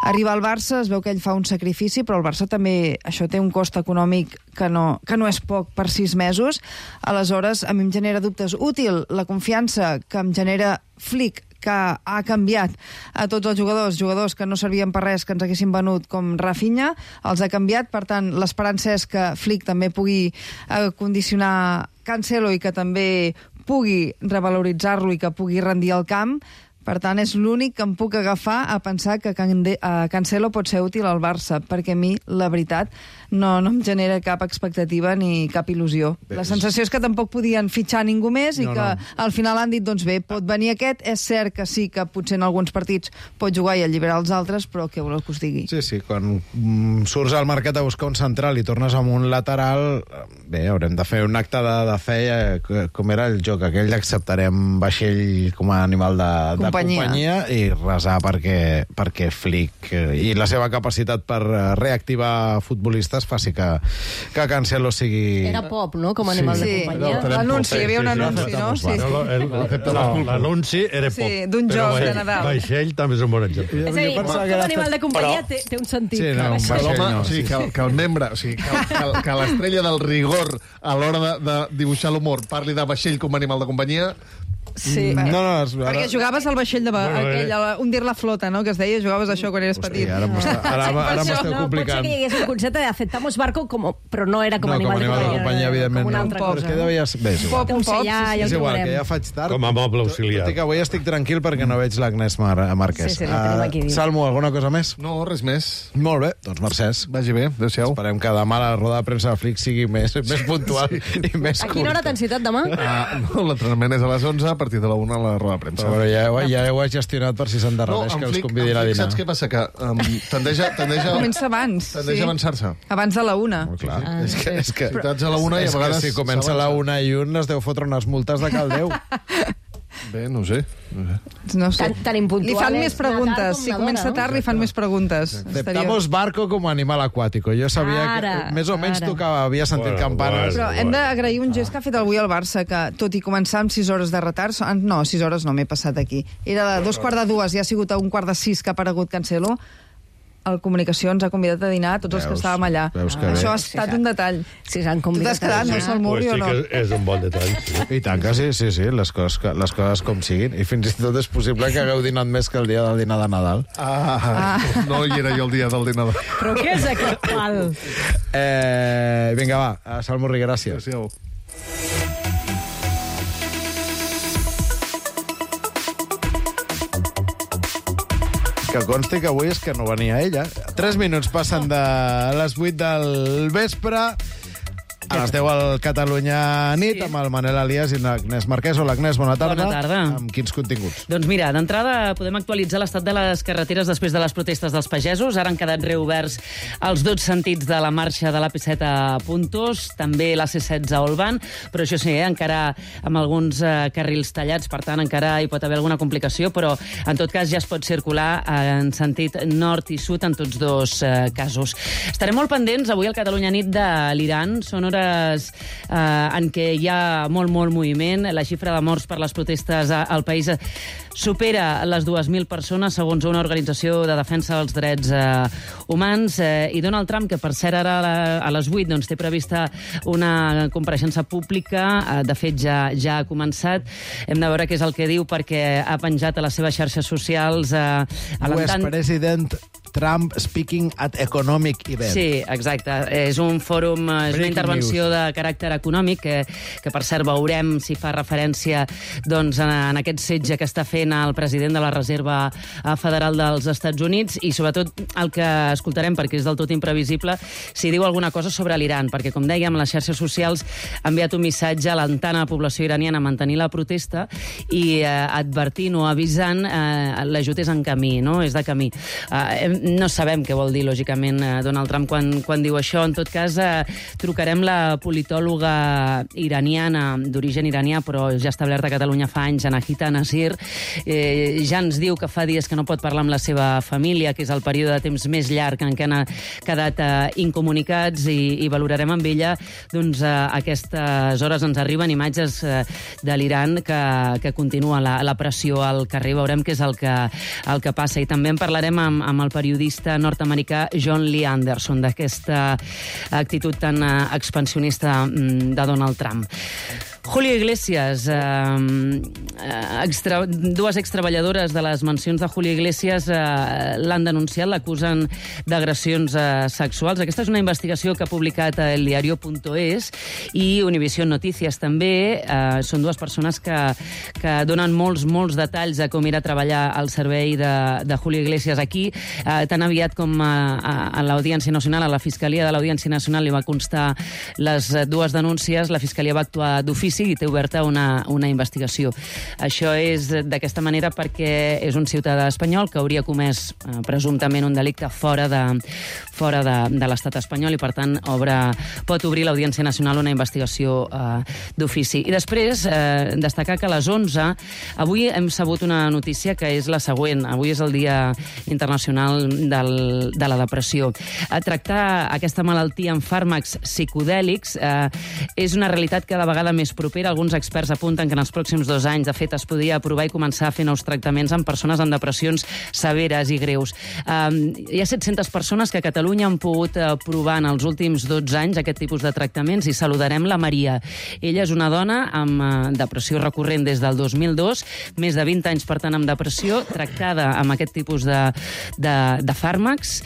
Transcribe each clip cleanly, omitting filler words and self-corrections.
arriba al Barça, es veu que ell fa un sacrifici, però el Barça també, això té un cost econòmic que no és poc per 6 mesos. Aleshores, a mi em genera dubtes. Útil la confiança que em genera Flick, que ha canviat a tots els jugadors que no servien per res, que ens haguessin venut, com Rafinha, els ha canviat. Per tant, l'esperança és que Flick també pugui condicionar Cancelo i que també pugui revaloritzar-lo i que pugui rendir al camp. Per tant, és l'únic que em puc agafar a pensar que Cancelo pot ser útil al Barça, perquè a mi, la veritat, no em genera cap expectativa ni cap il·lusió. La sensació és que tampoc podien fitxar ningú més i que al final han dit, doncs bé, pot venir aquest. És cert que sí que potser en alguns partits pot jugar i alliberar els altres, però què voleu que us digui? Sí, quan surts al mercat a buscar un central i tornes amb un lateral, bé, haurem de fer un acte de fe, com era el joc aquell d'acceptarem vaixell com a animal de companyia i resar perquè Flick i la seva capacitat per reactivar futbolistes faci que Cancelo sigui... Era pop, no?, com a animal de companyia. L'anunci, hi havia un anunci, no? L'anunci era pop. Sí, d'un joc de Nadal. Vaixell també és un bon exemple. És a dir, com a animal de companyia té un sentit. Sí, no, un vaixell no. Que el membre, que l'estrella del rigor a l'hora de dibuixar l'humor parli de vaixell com a animal de companyia... Sí, perquè jugaves al vaixell hundir la flota, no?, que es deia, jugaves això quan eres petit. Ara m'esteu complicant. Potser que hi hagués un concepte de aceptamos barco, però no era com a animal de companyia, evidentment. com una altra cosa. És que devies... Bé, és igual. És igual, que ja faig tard. Com a moble auxiliar. Tot i que avui estic tranquil perquè no veig l'Agnès Márquez. Sí, la tenim aquí. Salmo, alguna cosa més? No, res més. Molt bé, doncs Mercès. Vagi bé, adéu-siau. Esperem que demà la roda de premsa de Flick sigui més puntual i més curta. A quina hora t'han citat demà? No, l'entrenament és a les 11, a partir de la 1 a la roda de premsa. Però ja ho he gestionat per si s'endarrereix, que els convidin a dinar. Saps què passa? Que tendeix a... Comença abans. Tendeix a avançar-se. Abans de la 1. Molt clar. És que citats a la 1 i a vegades... si comença a la 1 i 1 es deu fotre unes multes de caldeu. Bé, no ho sé. No sé. Tan impuntual. Li fan més preguntes. Si comença tard, li fan més preguntes. Aceptamos barco como animal acuático. Jo sabia que més o menys tocava, havia sentit campanes. Però hem d'agrair un gest que ha fet avui el Barça, que tot i començar amb 6 hores de retard... No, 6 hores no, m'he passat aquí. Era a 2:45 i ha sigut a 1:45 que ha aparegut Cancelo. El Comunicacions ha convidat a dinar a tots els que estàvem allà. Això ha estat un detall. Si s'han convidat. Tu t'has quedat, no, Salmuri, o no? Sí que és un bon detall. I tant que sí, les coses com siguin. I fins i tot és possible que hagueu dinat més que el dia del dinar de Nadal. No hi era jo el dia del dinar de Nadal. Però què és aquest pal? Vinga, va, Salmuri, gràcies. Adéu. Que consti que avui és que no venia ella. 3 minuts passen de les 8 del vespre. A les 10 al Catalunya Nit, amb el Manel Alias i l'Agnès Marquès. Hola, Agnès, bona tarda. Bona tarda. Amb quins continguts? Doncs mira, d'entrada podem actualitzar l'estat de les carreteres després de les protestes dels pagesos. Ara han quedat reoberts els 2 sentits de la marxa de l'AP7 a Puntós, també la C16 a Olvan, però això sí, encara amb alguns carrils tallats, per tant encara hi pot haver alguna complicació, però en tot cas ja es pot circular en sentit nord i sud en tots 2 casos. Estarem molt pendents avui al Catalunya Nit de l'Iran. Són hores en què hi ha molt moviment. La xifra de morts per les protestes al país supera les 2.000 persones, segons una organització de defensa dels drets humans. I Donald Trump, que per cert ara a les 8 doncs, té prevista una compareixença pública, de fet ja ha començat. Hem de veure què és el que diu, perquè ha penjat a les seves xarxes socials US President Trump speaking at economic event. Sí, exacte. És un fòrum, és una intervenció de caràcter econòmic que per cert veurem si fa referència doncs, en aquest setge que està fent el president de la Reserva Federal dels Estats Units, i sobretot el que escoltarem, perquè és del tot imprevisible, si diu alguna cosa sobre l'Iran, perquè com dèiem, les xarxes socials ha enviat un missatge alentant a la població iraniana a mantenir la protesta i advertint o avisant l'ajut és en camí, no? És de camí. No sabem què vol dir, lògicament, Donald Trump quan diu això. En tot cas, trucarem la politòloga iraniana, d'origen iranià, però ja establerta a Catalunya fa anys, Anahita Nasir. Ja ens diu que fa dies que no pot parlar amb la seva família, que és el període de temps més llarg en què han quedat incomunicats, i valorarem amb ella doncs, a aquestes hores ens arriben imatges de l'Iran que continua la pressió al carrer. Veurem què és el que passa. I també en parlarem amb el periodista periodista nord-americà John Lee Anderson, d'aquesta actitud tan expansionista de Donald Trump. Julio Iglesias, dues extreballadores de les mansions de Julio Iglesias l'han denunciat, l'acusen d'agressions sexuals. Aquesta és una investigació que ha publicat el diario.es i Univision Noticias també. Són dues persones que donen molts detalls de com era treballar al servei de Julio Iglesias aquí. Tan aviat com a l'Audiència Nacional, a la Fiscalia de l'Audiència Nacional li va constar les dues denúncies, la Fiscalia va actuar d'ofici i té oberta una investigació. Això és d'aquesta manera perquè és un ciutadà espanyol que hauria comès presumptament un delicte fora de l'estat espanyol i, per tant, pot obrir l'Audiència Nacional una investigació d'ofici. I després, destacar que a les 11, avui hem sabut una notícia que és la següent. Avui és el Dia Internacional de la Depressió. Tractar aquesta malaltia amb fàrmacs psicodèlics és una realitat cada vegada més propera. Alguns experts apunten que en els pròxims 2 anys, de fet, es podria aprovar i començar a fer nous tractaments amb persones amb depressions severes i greus. Hi ha 700 persones que a Catalunya han pogut provar en els últims 12 anys aquest tipus de tractaments i saludarem la Maria. Ella és una dona amb depressió recurrent des del 2002, més de 20 anys, per tant, amb depressió, tractada amb aquest tipus de fàrmacs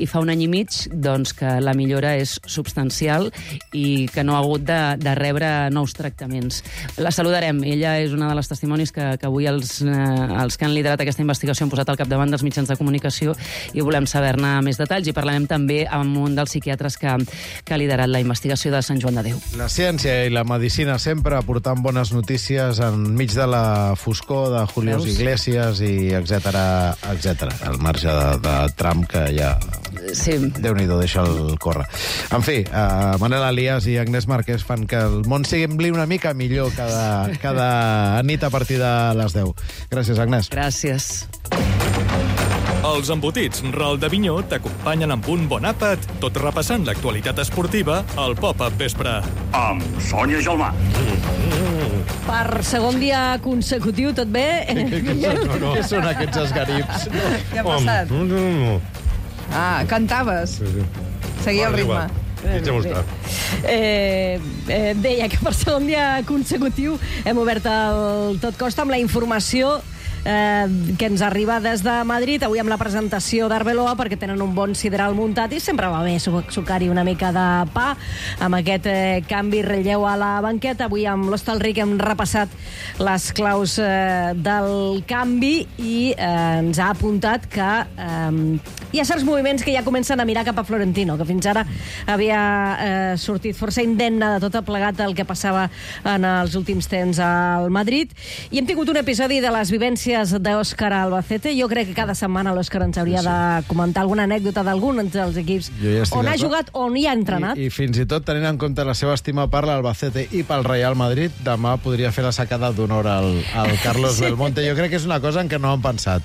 i fa 1 any i mig doncs, que la millora és substancial i que no ha hagut de rebre nous tractaments. La saludarem. Ella és una de les testimonis que avui els que han liderat aquesta investigació han posat al capdavant dels mitjans de comunicació i volem saber-ne més detalls i parlarem també amb un dels psiquiatres que ha liderat la investigació de Sant Joan de Déu. La ciència i la medicina sempre aportant bones notícies enmig de la foscor de Julio Iglesias i etcètera, al marge de Trump, que ja... Sí. Déu-n'hi-do, deixa'l córrer. En fi, Manel Elias i Agnès Marquès fan que el món sembli una mica millor cada nit a partir de les 10. Gràcies, Agnès. Gràcies. Els embotits Ral de Vinyó t'acompanyen amb un bon àpat, tot repassant l'actualitat esportiva al Pop-Up Vespre. Amb Sònia Gelmà. Per segon dia consecutiu, tot bé? Què són aquests esgarips? Què ha passat? Cantaves. Seguia el ritme. Deia que per segon dia consecutiu hem obert el Tot Costa amb la informació que ens arriba des de Madrid, avui amb la presentació d'Arbeloa, perquè tenen un bon sideral muntat i sempre va bé sucar-hi una mica de pa amb aquest canvi relleu a la banqueta. Avui amb l'Hostalric hem repassat les claus del canvi i ens ha apuntat que hi ha certs moviments que ja comencen a mirar cap a Florentino, que fins ara havia sortit força indemne de tot plegat el que passava en els últims temps al Madrid, i hem tingut un episodi de les vivències d'Òscar Albacete. Jo crec que cada setmana l'Òscar ens hauria de comentar alguna anècdota d'algun dels equips on ha jugat, on hi ha entrenat. I fins i tot, tenint en compte la seva estima per l'Albacete i pel Real Madrid, demà podria fer la sacada d'honor al Carlos Belmonte. Jo crec que és una cosa en què no han pensat.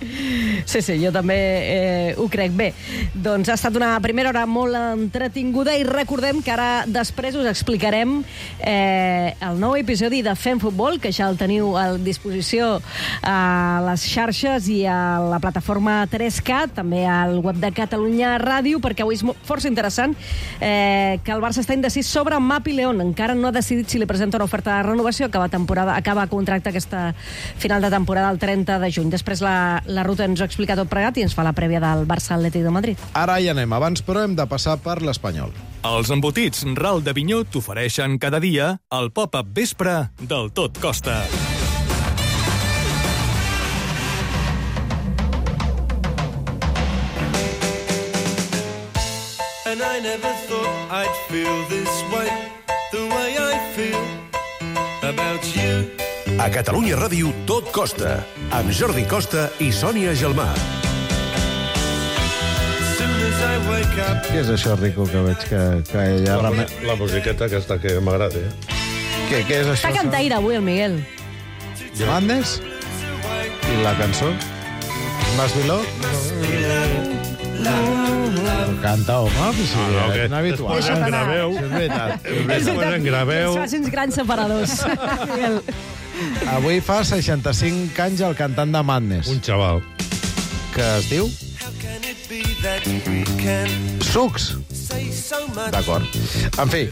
Sí, jo també ho crec. Bé, doncs ha estat una primera hora molt entretinguda i recordem que ara després us explicarem el nou episodi de Fem Futbol, que ja el teniu a disposició a les xarxes i a la plataforma 3Cat, també al web de Catalunya Ràdio, perquè avui és força interessant que el Barça està indecís sobre Mapi León. Encara no ha decidit si li presenta una oferta de renovació. Acaba contracte aquesta final de temporada el 30 de juny. Després la ruta ens ho explica tot plegat i ens fa la prèvia del Barça-Atlètic de Madrid. Ara hi anem. Abans, però, hem de passar per l'Espanyol. Els embotits Ral de Vinyó t'ofereixen cada dia el Pop-Up Vespre del Tot Costa. And I never thought I'd feel this way, the way I feel about you. A Catalunya Ràdio, Tot Costa, amb Jordi Costa i Sònia Gelmà. Què és això, Rico, que veig que ella... La musiqueta aquesta que m'agrada, Què és això? Està cantaire avui el Miguel. Madness? I la cançó? Mas Viló? Canta, home, és inhabitual. Després en graveu. És veritat. Després en graveu. Els facins grans separadors. Miguel. Avui fa 65 anys el cantant de Madness. Un xaval. Que es diu? that we can Sucs. say so much. D'acord. En fi,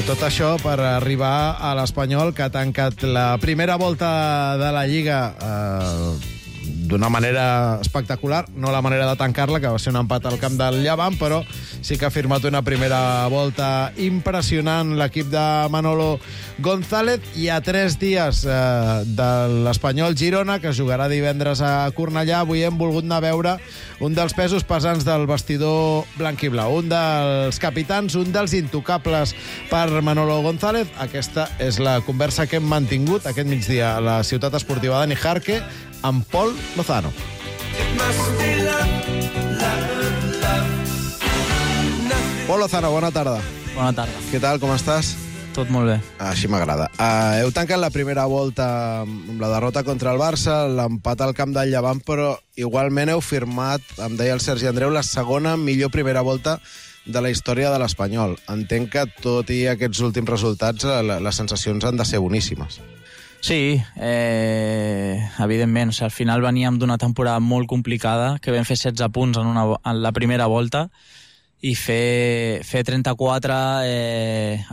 tot això per arribar a l'Espanyol, que ha tancat la primera volta de la Lliga d'una manera espectacular, no la manera de tancar-la, que va ser un empat al camp del Llevant, però sí que ha firmat una primera volta impressionant l'equip de Manolo González, i a 3 dies de l'Espanyol Girona, que jugarà divendres a Cornellà. Avui hem volgut anar a veure un dels pesos pesants del vestidor blanc i blau, un dels capitans, un dels intocables per Manolo González. Aquesta és la conversa que hem mantingut aquest migdia a la ciutat esportiva de Nijarque amb Pol Lozano. Pol Lozano, bona tarda. Bona tarda. Què tal, com estàs? Tot molt bé. Així m'agrada. Heu tancat la primera volta amb la derrota contra el Barça, l'empat al camp del Llevant, però igualment heu firmat, em deia el Sergi Andreu, la segona millor primera volta de la història de l'Espanyol. Entenc que, tot i aquests últims resultats, les sensacions han de ser boníssimes. Sí, evidentment. O sigui, al final veníem d'una temporada molt complicada, que vam fer 16 punts en la primera volta, i fer 34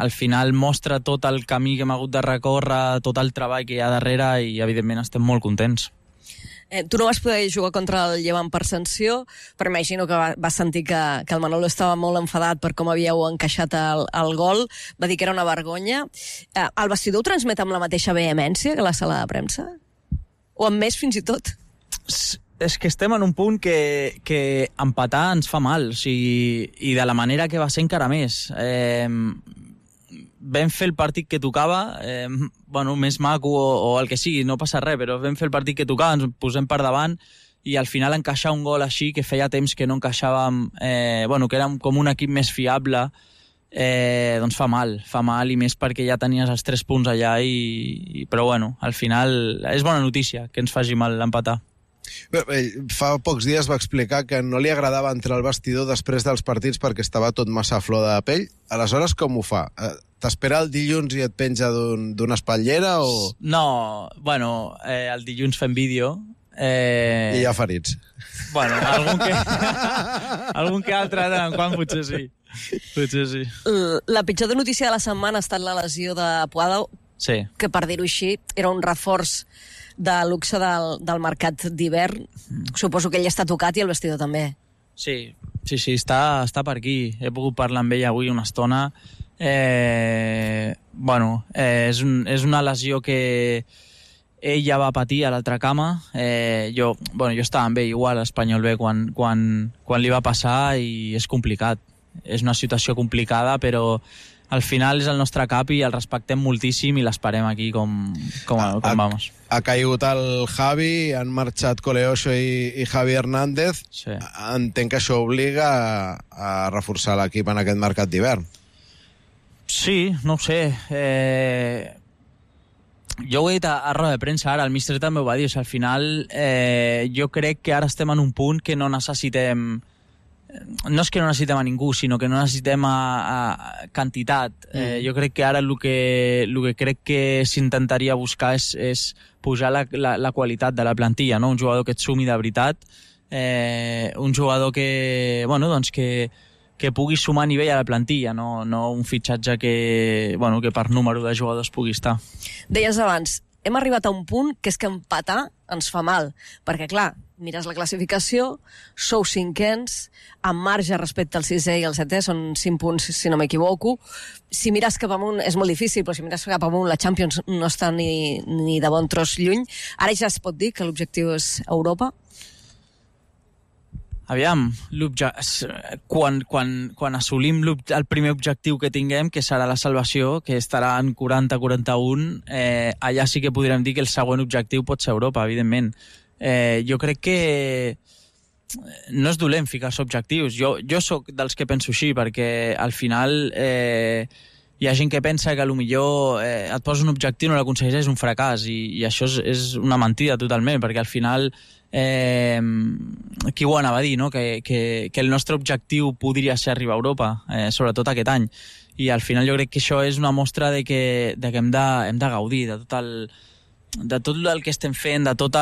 al final mostra tot el camí que hem hagut de recórrer, tot el treball que hi ha darrere, i evidentment estem molt contents. Tu no vas poder jugar contra el Llevant per sanció, però imagino que vas sentir que el Manolo estava molt enfadat per com havíeu encaixat el gol, va dir que era una vergonya. El vestidor ho transmet amb la mateixa vehemència que la sala de premsa? O amb més, fins i tot? És que estem en un punt que empatar ens fa mal, o sigui, i de la manera que va ser encara més. Vam fer el partit que tocava, més maco o el que sigui, no passa res, però vam fer el partit que tocava, ens posem per davant, i al final encaixar un gol així, que feia temps que no encaixàvem, que érem com un equip més fiable, doncs fa mal, i més perquè ja tenies els 3 punts allà, però al final és bona notícia que ens faci mal l'empatar. Fa pocs dies va explicar que no li agradava entrar al vestidor després dels partits perquè estava tot massa a flor de pell. Aleshores, com ho fa? T'espera el dilluns i et penja d'una espatllera o...? No, el dilluns fem vídeo. I hi ha ferits. Algun que altre, de quan potser sí. La pitjor notícia de la setmana ha estat la lesió de Puado, sí, que, per dir-ho així, era un reforç de luxe del mercat d'hivern. Suposo que ell està tocat i el vestidor també. Sí, està per aquí. He pogut parlar amb ell avui una estona. És una lesió que ell ja va patir a l'altra cama. Jo estava amb ell igual a Espanyol B quan li va passar, i és complicat. És una situació complicada, però al final és el nostre cap i el respectem moltíssim i l'esperem aquí com vamos. Ha caigut el Javi, han marxat Coleoso i Javi Hernández. Sí. Entenc que això obliga a reforçar l'equip en aquest mercat d'hivern. Sí, no ho sé. Jo ho he dit a roda de premsa ara, el míster també ho va dir. Al final jo crec que ara estem en un punt que no necessitem... No és que no necessitem a ningú, sinó que no necessitem a quantitat. Jo crec que ara el que crec que s'intentaria buscar és pujar la qualitat de la plantilla, no? Un jugador que et sumi de veritat, un jugador que pugui sumar a nivell a la plantilla, no un fitxatge que per número de jugadors pugui estar. Deies abans, hem arribat a un punt que és que empatar ens fa mal, perquè clar, mires la classificació, sou 5ens, amb marge respecte al 6è i al 7è, són 5 punts, si no m'equivoco. Si mires cap amunt, és molt difícil, però si mires cap amunt, la Champions no està ni de bon tros lluny. Ara ja es pot dir que l'objectiu és Europa? Aviam, quan assolim el primer objectiu que tinguem, que serà la salvació, que estarà en 40-41, allà sí que podrem dir que el següent objectiu pot ser Europa, evidentment. Jo crec que no és dolent ficar-se objectius. Jo sóc dels que penso així, perquè al final hi ha gent que pensa que millor et poses un objectiu i no l'aconsegueix, és un fracàs, i això és una mentida totalment, perquè al final qui ho anava a dir, no? Que el nostre objectiu podria ser arribar a Europa, sobretot aquest any, i al final jo crec que això és una mostra de que hem de gaudir de tot tot el que estem fent, de tot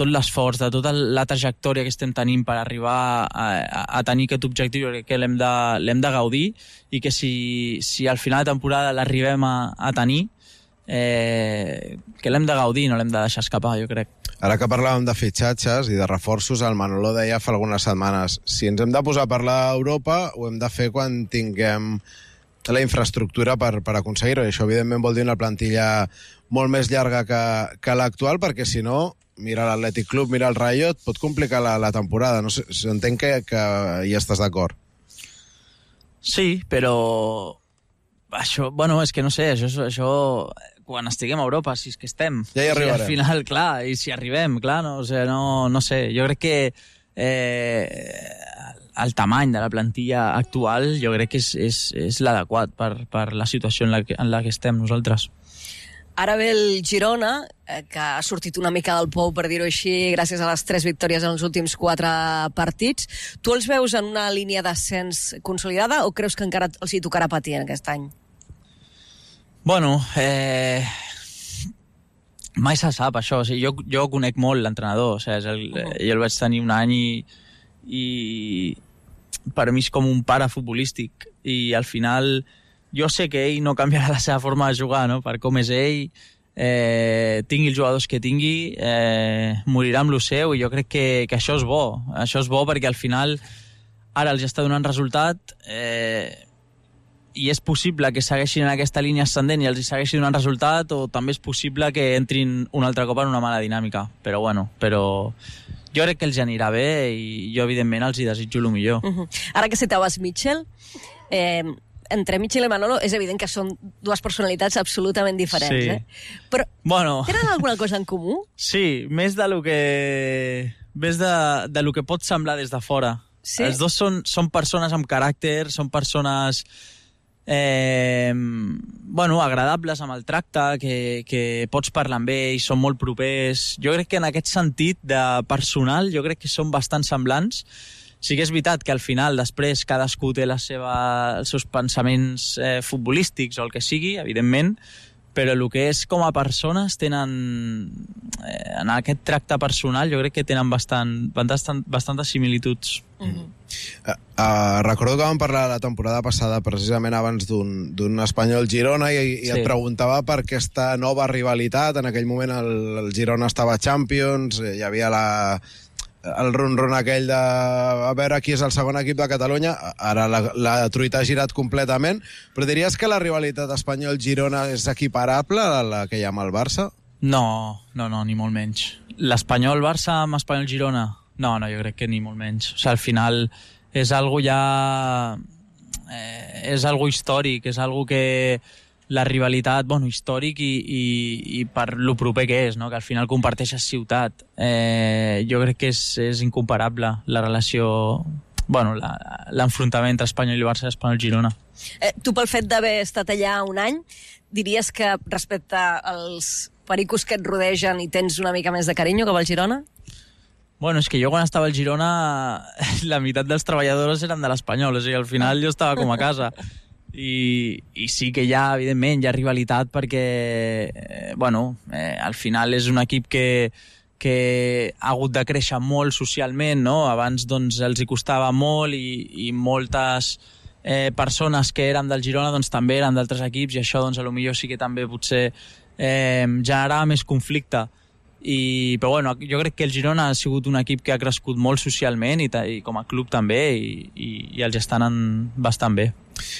l'esforç, de tota la trajectòria que estem tenint per arribar a tenir aquest objectiu, que l'hem de gaudir, i que si al final de temporada l'arribem a tenir, que l'hem de gaudir, no l'hem de deixar escapar, jo crec. Ara que parlàvem de fitxatges i de reforços, el Manolo deia fa algunes setmanes, si ens hem de posar a parlar d'Europa, ho hem de fer quan tinguem la infraestructura per aconseguir-ho. I això, evidentment, vol dir una plantilla molt més llarga que l'actual, perquè si no, mira l'Atlètic Club, mira el Rayo, et pot complicar la temporada. No sé, entenc que hi estàs d'acord. Sí, però això, bueno, és que no sé, això quan estiguem a Europa, si és que estem. Ja hi arribarem. Al final, clar, i si arribem, clar, no, o sigui, no sé, jo crec que el tamany de la plantilla actual jo crec que és l'adequat per la situació en la que estem nosaltres. Ara ve el Girona, que ha sortit una mica del pou, per dir-ho així, gràcies a les 3 victòries en els últims 4 partits. Tu els veus en una línia d'ascens consolidada o creus que encara els hi tocarà patir en aquest any? Bueno, mai se sap això. O sigui, jo conec molt l'entrenador. O sigui, jo el vaig tenir un any i per mi és com un pare futbolístic. I al final jo sé que ell no canviarà la seva forma de jugar, no? Per com és ell, tingui els jugadors que tingui, morirà amb lo seu, i jo crec que això és bo. Això és bo perquè al final ara els està donant resultat, i és possible que segueixin en aquesta línia ascendent i els hi segueixi donant resultat, o també és possible que entrin un altre cop en una mala dinàmica. Però jo crec que els anirà bé i jo, evidentment, els hi desitjo el millor. Ara que citaves Mitchell, entre Mitchell i Manolo és evident que són dues personalitats absolutament diferents, sí. Però bueno, tenen alguna cosa en comú? Sí, més de lo que pot semblar des de fora. Sí? Els dos són persones amb caràcter, són persones agradables amb el tracte, que pots parlar amb ells, són molt propers. Jo crec que en aquest sentit de personal, jo crec que són bastant semblants. Sí que és veritat que al final, després, cadascú té els seus pensaments futbolístics o el que sigui, evidentment, però el que és com a persones tenen, en aquest tracte personal, jo crec que tenen bastantes similituds. Recordo que vam parlar la temporada passada precisament abans d'un Espanyol Girona i et preguntava per aquesta nova rivalitat. En aquell moment el Girona estava a Champions, hi havia el ron-ron aquell de a veure qui és el segon equip de Catalunya. Ara la truita ha girat completament, però diries que la rivalitat Espanyol-Girona és equiparable a la que hi ha amb el Barça? No, ni molt menys. L'Espanyol-Barça amb Espanyol-Girona? No, jo crec que ni molt menys. O sigui, al final és algo ja... és algo històric, és algo que la rivalitat, històric i per lo proper que és, no? Que al final comparteixes ciutat. Jo crec que és incomparable la relació, l'enfrontament entre Espanyol i Barça i Espanyol-Girona. Tu, pel fet d'haver estat allà un any, diries que respecte als pericos que et rodegen i tens una mica més de carinyo cap al Girona? És que jo quan estava al Girona la meitat dels treballadors eren de l'Espanyol, o sigui, al final jo estava com a casa. I sí que evidentment, hi ha rivalitat perquè, al final és un equip que ha hagut de créixer molt socialment, no? Abans els hi costava molt i moltes persones que eren del Girona també eren d'altres equips, i això potser sí que també potser generava més conflicte. Però jo crec que el Girona ha sigut un equip que ha crescut molt socialment i com a club també, i els estan anant bastant bé.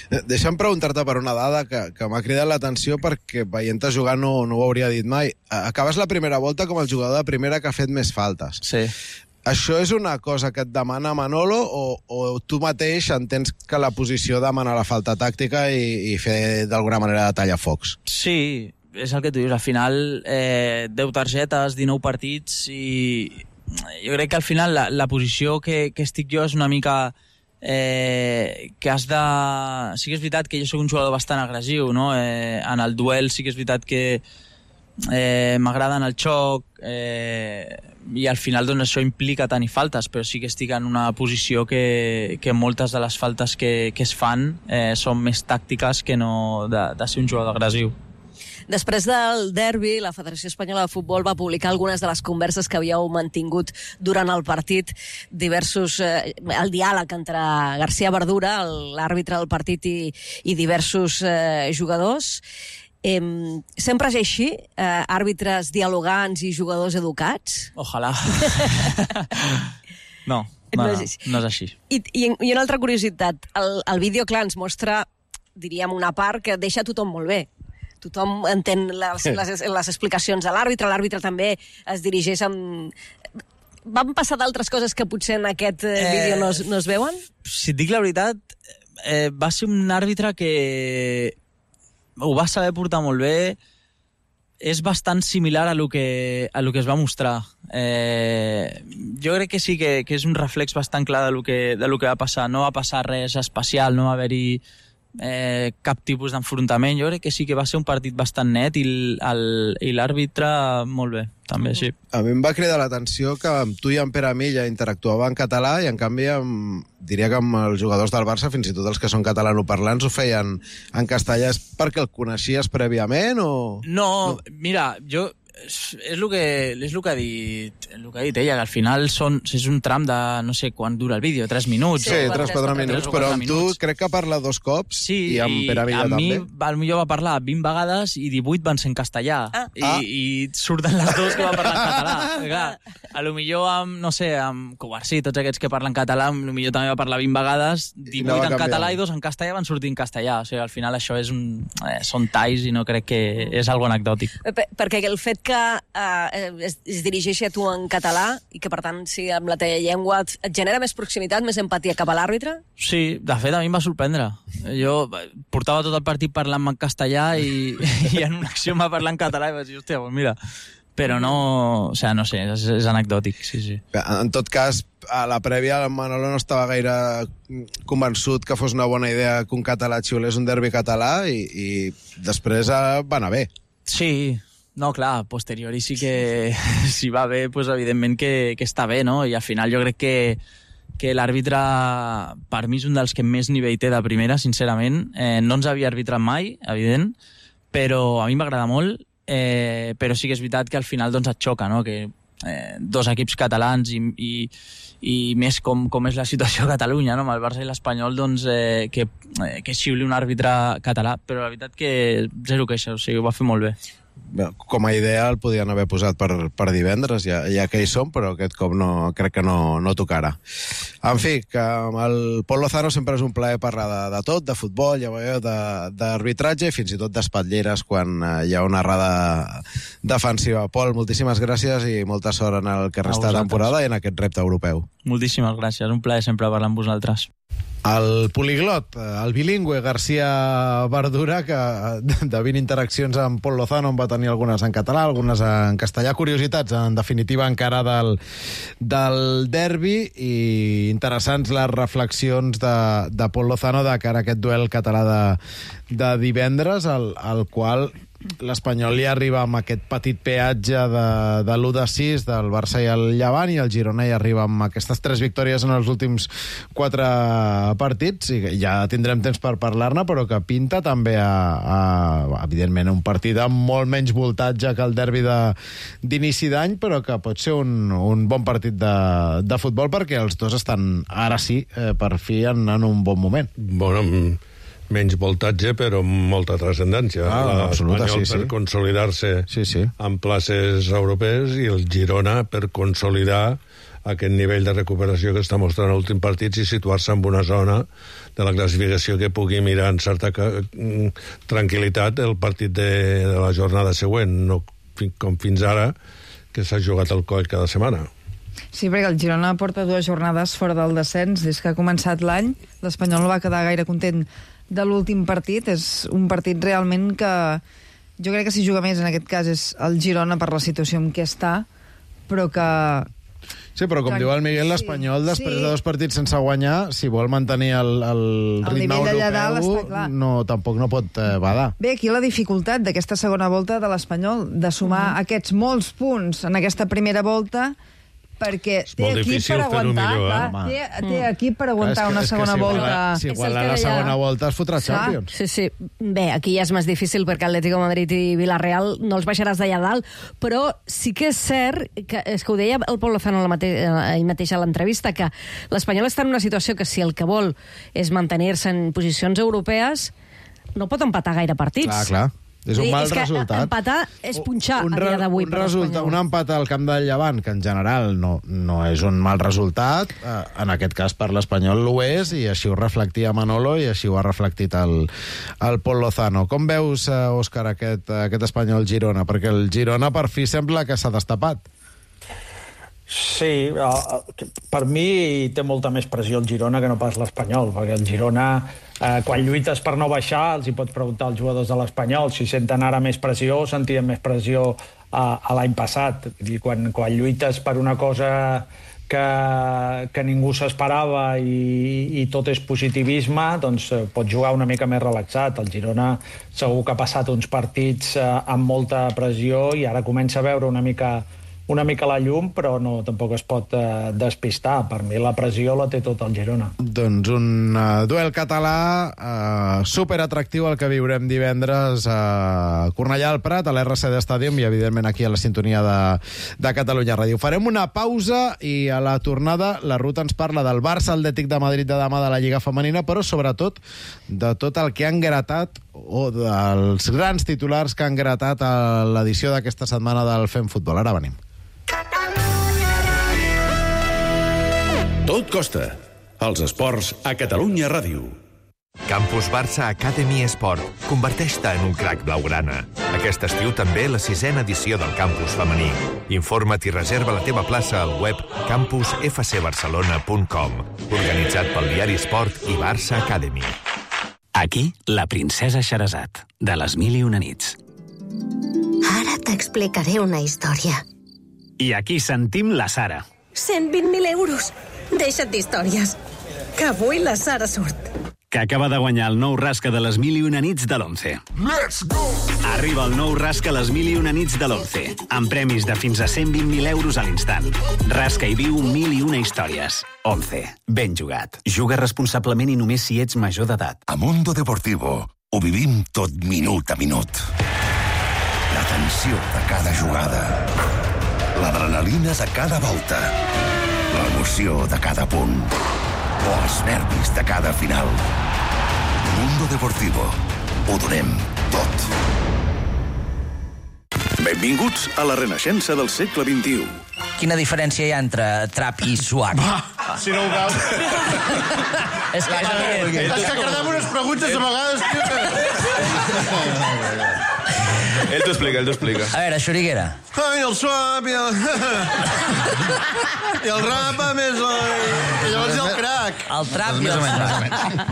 Deixa'm preguntar-te per una dada que m'ha cridat l'atenció, perquè veient-te jugar no ho hauria dit mai. Acabes la primera volta com el jugador de primera que ha fet més faltes. Sí. Això és una cosa que et demana Manolo o tu mateix entens que la posició demana la falta tàctica i fer d'alguna manera de tallafocs? Sí, és el que tu dius, al final 10 targetes, 19 partits, i jo crec que al final la posició que estic jo és una mica que has de... Sí que és veritat que jo soc un jugador bastant agressiu, no? En el duel sí que és veritat que m'agrada en el xoc, i al final això implica tenir faltes, però sí que estic en una posició que moltes de les faltes que es fan són més tàctiques que no de ser un jugador agressiu. Després del derbi, la Federació Espanyola de Futbol va publicar algunes de les converses que havíeu mantingut durant el partit, el diàleg entre García Verdura, l'àrbitre del partit, i diversos jugadors. Sempre és així? Àrbitres dialogants i jugadors educats? Ojalà. No és així. I una altra curiositat, el vídeo, clar, ens mostra, diríem, una part que deixa tothom molt bé. Tothom entén les explicacions de l'àrbitre també es dirigeix amb... Van passar d'altres coses que potser en aquest vídeo no es veuen? Si et dic la veritat, va ser un àrbitre que ho va saber portar molt bé. És bastant similar a lo que es va mostrar. Jo crec que sí que és un reflex bastant clar de lo que va passar. No va passar res especial, no va haver-hi cap tipus d'enfrontament. Jo crec que sí que va ser un partit bastant net i l'àrbitre molt bé, també, sí. A mi em va cridar l'atenció que amb tu i amb Pere Milla interactuava en català i en canvi diria que amb els jugadors del Barça, fins i tot els que són catalanoparlants, ho feien en castellà. És perquè el coneixies prèviament o...? No, mira, jo... És el que ha dit ella, que al final és un tram de, no sé quant dura el vídeo, 3 minuts. Sí, 3-4 minuts, però amb tu crec que parla 2 cops, i amb Pere Milla també. Sí, a mi potser va parlar 20 vegades i 18 van ser en castellà. I surten les dues que va parlar en català. Clar, a lo millor amb, no sé, amb Covarsí, tots aquests que parlen català, a lo millor també va parlar 20 vegades, 18 en català i 2 en castellà van sortir en castellà. O sigui, al final això són talls i no crec que és algo anecdòtic. Perquè el fet que es dirigeixi a tu en català i que, per tant, si amb la teva llengua et genera més proximitat, més empatia cap a l'àrbitre? Sí, de fet, a mi em va sorprendre. Jo portava tot el partit parlant en castellà i en una acció em va parlar en català i vaig dir, hòstia, doncs mira... Però no... O sigui, no sé, és anecdòtic, sí. En tot cas, a la prèvia el Manolo no estava gaire convençut que fos una bona idea que un català xiulés un derbi català i després va anar bé. Sí, no, clar, a posteriori sí que si va bé, pues, evidentment que està bé, no? I al final jo crec que l'àrbitre, per mi, és un dels que més nivell té de primera, sincerament. No ens havia arbitrat mai, evident, però a mi m'agrada molt. Però sí que és veritat que al final doncs et xoca, no? Que dos equips catalans i més com és la situació a Catalunya, no? Amb el Barça i l'Espanyol, doncs que xiuli un àrbitre català, però la veritat que zero queixa, o sigui, ho va fer molt bé. Com a idea el podien haver posat per divendres, ja que hi som, però aquest cop crec que no tocarà. En fi, que amb el Pol Lozano sempre és un plaer parlar de tot, de futbol, ja veieu, d'arbitratge i fins i tot d'espatlleres quan hi ha una errada defensiva. Pol, moltíssimes gràcies i molta sort en el que resta de temporada i en aquest repte europeu. Moltíssimes gràcies, un plaer sempre parlar amb vosaltres. El poliglot, el bilingüe García Verdura, que de 20 interaccions amb Pol Lozano en va tenir algunes en català, algunes en castellà. Curiositats, en definitiva, encara del derbi, i interessants les reflexions de Pol Lozano de cara a aquest duel català de divendres, al qual l'Espanyol li arriba amb aquest petit peatge de l'1-6 del Barça i el Llevant, i el Girona hi arriba amb aquestes 3 victòries en els últims 4 partits, i ja tindrem temps per parlar-ne, però que pinta també evidentment un partit amb molt menys voltatge que el derbi d'inici d'any, però que pot ser un bon partit de futbol, perquè els dos estan ara sí, per fi, en un bon moment. Bueno, menys voltatge, però amb molta transcendència. Absoluta, l'Espanyol per consolidar-se en places europees i el Girona per consolidar aquest nivell de recuperació que està mostrant en l'últim partit i situar-se en una zona de la classificació que pugui mirar en certa tranquil·litat el partit de la jornada següent, no com fins ara, que s'ha jugat al coll cada setmana. Sí, perquè el Girona porta 2 jornades fora del descens des que ha començat l'any. L'Espanyol no va quedar gaire content de l'últim partit. És un partit realment que jo crec que si juga més en aquest cas és el Girona per la situació en què està, però que... Sí, però com diu el Miguel, l'Espanyol, després de 2 partits sense guanyar, si vol mantenir el ritme europeu, tampoc no pot badar. Bé, aquí la dificultat d'aquesta segona volta de l'Espanyol, de sumar aquests molts punts en aquesta primera volta perquè És té molt equip difícil per fer-ho aguantar, millor, clar, té equip per aguantar una segona volta. Si iguala la segona volta es fotrà Champions. Sí. Bé, aquí ja és més difícil perquè Atlético de Madrid i Villarreal no els baixaràs d'allà dalt, però sí que és cert, és que ho deia el Pol Lozano ell mateix a l'entrevista, que l'Espanyol està en una situació que si el que vol és mantenir-se en posicions europees, no pot empatar gaire partits. Clar. És un mal que resultat. Empatar és punxar a dia d'avui per l'Espanyol. Un empat al camp del Llevant, que en general no és un mal resultat, en aquest cas per l'Espanyol ho és, i així ho reflectia Manolo i així ho ha reflectit el Pol Lozano. Com veus, Òscar, aquest Espanyol-Girona? Perquè el Girona per fi sembla que s'ha destapat. Sí, per mi té molta més pressió el Girona que no pas l'Espanyol, perquè el Girona, quan lluites per no baixar, els hi pots preguntar als jugadors de l'Espanyol si senten ara més pressió o sentien més pressió a l'any passat. Quan lluites per una cosa que ningú s'esperava i tot és positivisme, doncs pots jugar una mica més relaxat. El Girona segur que ha passat uns partits amb molta pressió i ara comença a veure una mica la llum, però tampoc es pot despistar. Per mi la pressió la té tot el Girona. Doncs un duel català superatractiu el que viurem divendres a Cornellà al Prat, a l'RCD Stadium i, evidentment, aquí a la sintonia de Catalunya Ràdio. Farem una pausa i a la tornada la Ruta ens parla del Barça Atlètic de Madrid de demà de la Lliga Femenina, però sobretot de tot el que han gratat o dels grans titulars que han gratat a l'edició d'aquesta setmana del Fem Futbol. Ara venim. Tot costa. Els esports a Catalunya Ràdio. Campus Barça Academy Esport. Converteix-te en un crac blaugrana. Aquest estiu també la 6ª edició del campus femení. Informa't i reserva la teva plaça al web campusfcbarcelona.com. Organitzat pel diari Esport i Barça Academy. Aquí, la princesa Xerazat, de les 1001 nits. Ara t'explicaré una història. I aquí sentim la Sara. 120.000 euros. Deixa't d'històries. Que avui la Sara surt. Que acaba de guanyar el nou rasca de les 1001 nits de l'11. Let's go! Arriba el nou rasca les 1001 nits de l'11, amb premis de fins a 120.000 euros a l'instant. Rasca i viu 1001 històries. 11. Ben jugat. Juga responsablement i només si ets major d'edat. A Mundo Deportivo ho vivim tot minut a minut. La tensió de cada jugada. L'adrenalina de cada volta. L'emoció de cada punt. O els nervis de cada final. Mundo Deportivo. Ho donem tot. Benvinguts a la renaixença del segle XXI. Quina diferència hi ha entre trap i swag? Si no ho veus... És que cardem unes preguntes a vegades... Ell t'ho explica. A veure, Xuriguera. Ai, el swap i el... I el rap més... I llavors el crack. El trap i el swag.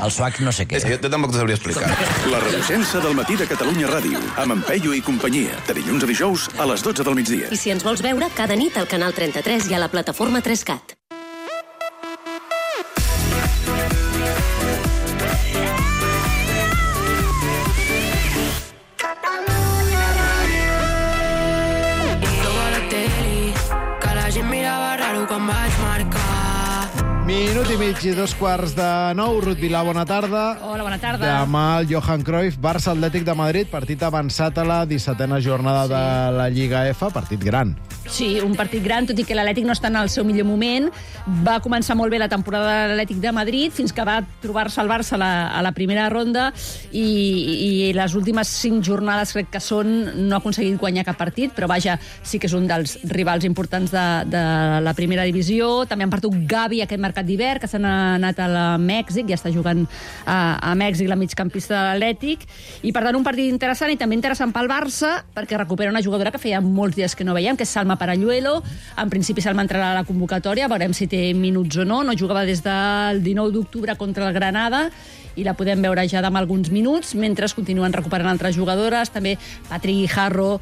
El swag no sé què. És que jo tampoc t'ho sabria explicar. La renaixença del matí de Catalunya Ràdio, amb en Peyu i companyia, de dilluns a dijous a les 12 del migdia. I si ens vols veure, cada nit al canal 33 i a la plataforma 3CAT. Minut i mig i 2:15. Ruth Vilà, bona tarda. Hola, bona tarda. Demà el Johan Cruyff, Barça Atlètic de Madrid, partit avançat a la 17a jornada de la Lliga F, partit gran. Sí, un partit gran, tot i que l'Atlètic no està en el seu millor moment. Va començar molt bé la temporada de l'Atlètic de Madrid, fins que va trobar-se el Barça a la primera ronda i les últimes 5 jornades, crec que no ha aconseguit guanyar cap partit, però vaja, sí que és un dels rivals importants de la primera divisió. També han perdut Gavi aquest mercat d'hivern, que s'han anat a Mèxic, ja està jugant a Mèxic la migcampista de l'Atlètic, i per tant un partit interessant i també interessant pel Barça, perquè recupera una jugadora que feia molts dies que no veiem, que és Salma Paralluelo. En principi Salma entrarà a la convocatòria, veurem si té minuts o no jugava des del 19 d'octubre contra el Granada i la podem veure ja demà alguns minuts, mentre continuen recuperant altres jugadores. També Patrick Guijarro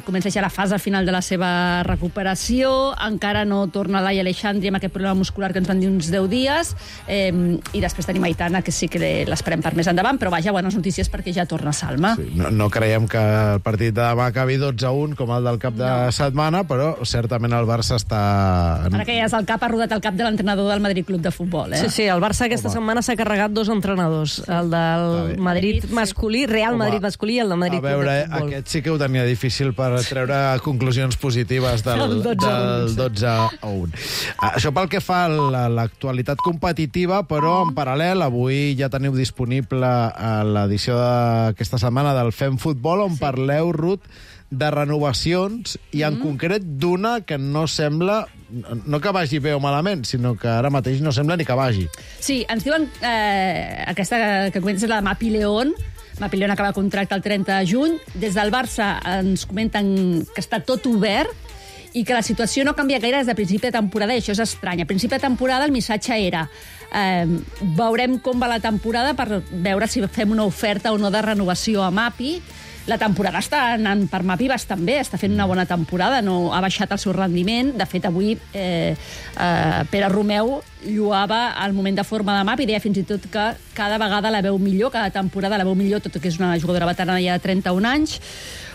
comença ja la fase final de la seva recuperació. Encara no torna Laia Aleixandri amb aquest problema muscular que ens van dir uns 10 dies. dies, i després tenim Aitana, que sí que l'esperem per més endavant, però vaja, bones notícies perquè ja torna Salma. Sí, no creiem que el partit de demà acabi 12-1 com el del cap de setmana, però certament el Barça està... Ara que ja és el cap, ha rodat el cap de l'entrenador del Madrid Club de Futbol, Sí, sí, el Barça aquesta setmana s'ha carregat 2 entrenadors, el del Madrid masculí, Real Madrid masculí, i el de Madrid Club de Futbol. A veure, aquest sí que ho tenia difícil per treure conclusions positives del 12-1. Això pel que fa a l'actualitat competitiva, però en paral·lel, avui ja teniu disponible l'edició d'aquesta setmana del Fem Futbol, on parleu, Ruth, de renovacions, i en concret d'una que no sembla, no que vagi bé o malament, sinó que ara mateix no sembla ni que vagi. Sí, ens diuen aquesta que comentes és la de Mapi León. Mapi León acaba contracte el 30 de juny. Des del Barça ens comenten que està tot obert i que la situació no canvia gaire des de principi de temporada, i això és estrany. A principi de temporada el missatge era veurem com va la temporada per veure si fem una oferta o no de renovació a Mapi. La temporada està anant per Mapi bastant bé, està fent una bona temporada, no ha baixat el seu rendiment. De fet, avui Pere Romeu lloava el moment de forma de Mapi, deia fins i tot que cada vegada la veu millor, cada temporada la veu millor, tot que és una jugadora veterana ja de 31 anys.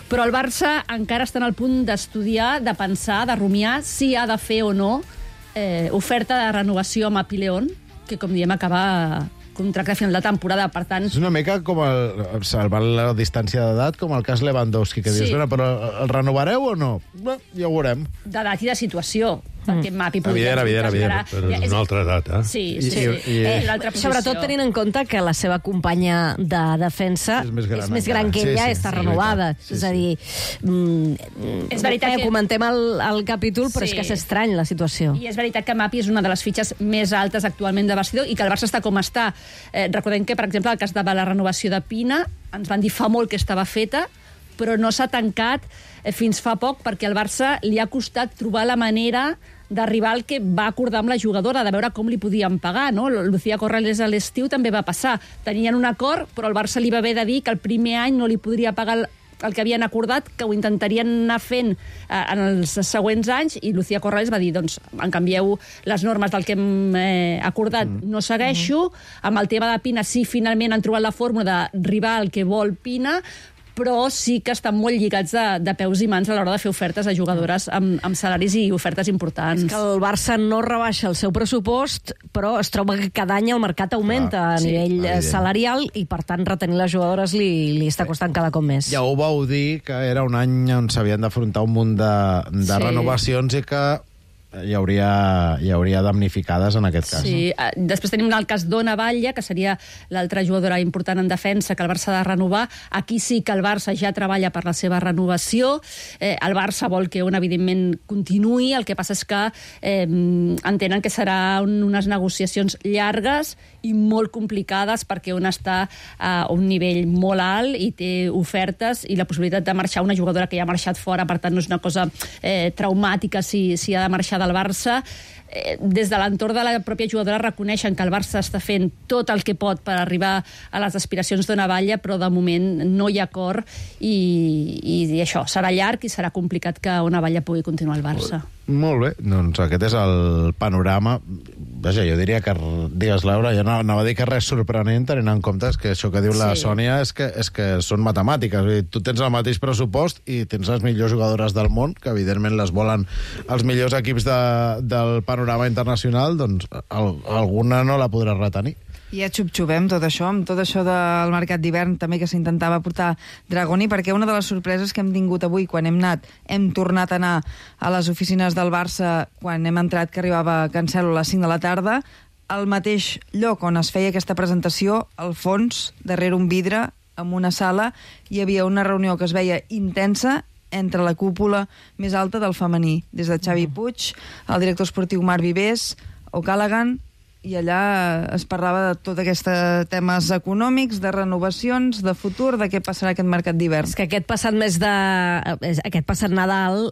Però el Barça encara està en el punt d'estudiar, de pensar, de rumiar si ha de fer o no oferta de renovació a Mapi León, que, com diem, acaba contracte a final de temporada, per tant... És una mica com salvant la distància d'edat, com el cas Lewandowski, que dius, però el renovareu o no? Bé, ja ho veurem. D'edat i de situació, perquè Mapi podria... Evident. Però és una altra edat, eh? Sí. Sobretot tenint en compte que la seva companya de defensa és més gran que ella, està renovada. És a dir, és veritat que comentem el capítol, però és que és estrany la situació. I és veritat que Mapi és una de les fitxes més altes actualment de vestidor i que el Barça està com està. Recordem que, per exemple, el cas de la renovació de Pina, ens van dir fa molt que estava feta, però no s'ha tancat fins fa poc perquè al Barça li ha costat trobar la manera d'arribar al que va acordar amb la jugadora, de veure com li podien pagar, no? Lucía Corrales a l'estiu també va passar. Tenien un acord, però el Barça li va haver de dir que el primer any no li podria pagar el que havien acordat, que ho intentarien anar fent en els següents anys, i Lucía Corrales va dir, doncs, en canvieu les normes del que hem acordat, no segueixo. Amb el tema de Pina, sí, finalment han trobat la fórmula d'arribar al que vol Pina, però sí que estan molt lligats de peus i mans a l'hora de fer ofertes a jugadores amb salaris i ofertes importants. És que el Barça no rebaixa el seu pressupost, però es troba que cada any el mercat augmenta a nivell salarial i, per tant, retenir les jugadores li està costant cada cop més. Ja ho vau dir, que era un any on s'havien d'afrontar un munt de renovacions i que hi hauria damnificades en aquest cas. Sí, després tenim el cas d'Ona Batlle, que seria l'altra jugadora important en defensa que el Barça ha de renovar. Aquí sí que el Barça ja treballa per la seva renovació. El Barça vol que Ona, evidentment, continuï. El que passa és que entenen que serà unes negociacions llargues i molt complicades perquè Ona està a un nivell molt alt i té ofertes i la possibilitat de marxar una jugadora que ja ha marxat fora, per tant no és una cosa traumàtica si ha de marxar del Barça. Des de l'entorn de la pròpia jugadora reconeixen que el Barça està fent tot el que pot per arribar a les aspiracions d'Ona Batlle, però de moment no hi ha acord i això, serà llarg i serà complicat que Ona Batlle pugui continuar al Barça. Molt bé, doncs aquest és el panorama. Vaja, jo diria que, digues, Laura, jo anava a dir que res sorprenent, tenint en compte que això que diu la Sònia és que són matemàtiques. Vull dir, tu tens el mateix pressupost i tens les millors jugadores del món, que evidentment les volen els millors equips del panorama internacional, doncs alguna no la podràs retenir. I ja xup-xupem tot això, amb tot això del mercat d'hivern també que s'intentava portar Dragoni, perquè una de les sorpreses que hem tingut avui quan hem tornat a anar a les oficines del Barça, quan hem entrat que arribava Cancelo a les 5 de la tarda, al mateix lloc on es feia aquesta presentació, al fons, darrere un vidre, en una sala, hi havia una reunió que es veia intensa entre la cúpula més alta del femení, des de Xavi Puig, el director esportiu Marc Vivers, O'Callaghan, i allà es parlava de tot aquests temes econòmics, de renovacions, de futur, de què passarà aquest mercat d'hivern. És que aquest passat Nadal,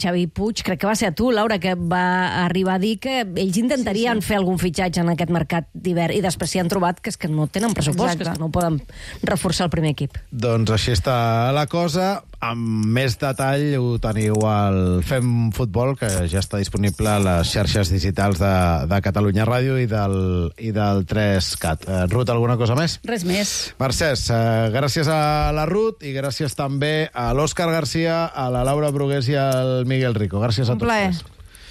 Xavi Puig, crec que va ser a tu, Laura, que va arribar a dir que ells intentarien fer algun fitxatge en aquest mercat d'hivern i després s'hi han trobat que és que no tenen pressupost, que és que no poden reforçar el primer equip. Doncs així està la cosa. Amb més detall ho teniu al Fem Futbol, que ja està disponible a les xarxes digitals de Catalunya Ràdio i del 3CAT. Ruth, alguna cosa més? Res més. Mercès, gràcies a la Ruth i gràcies també a l'Òscar Garcia, a la Laura Brugués i al Miguel Rico. Gràcies a tots tres.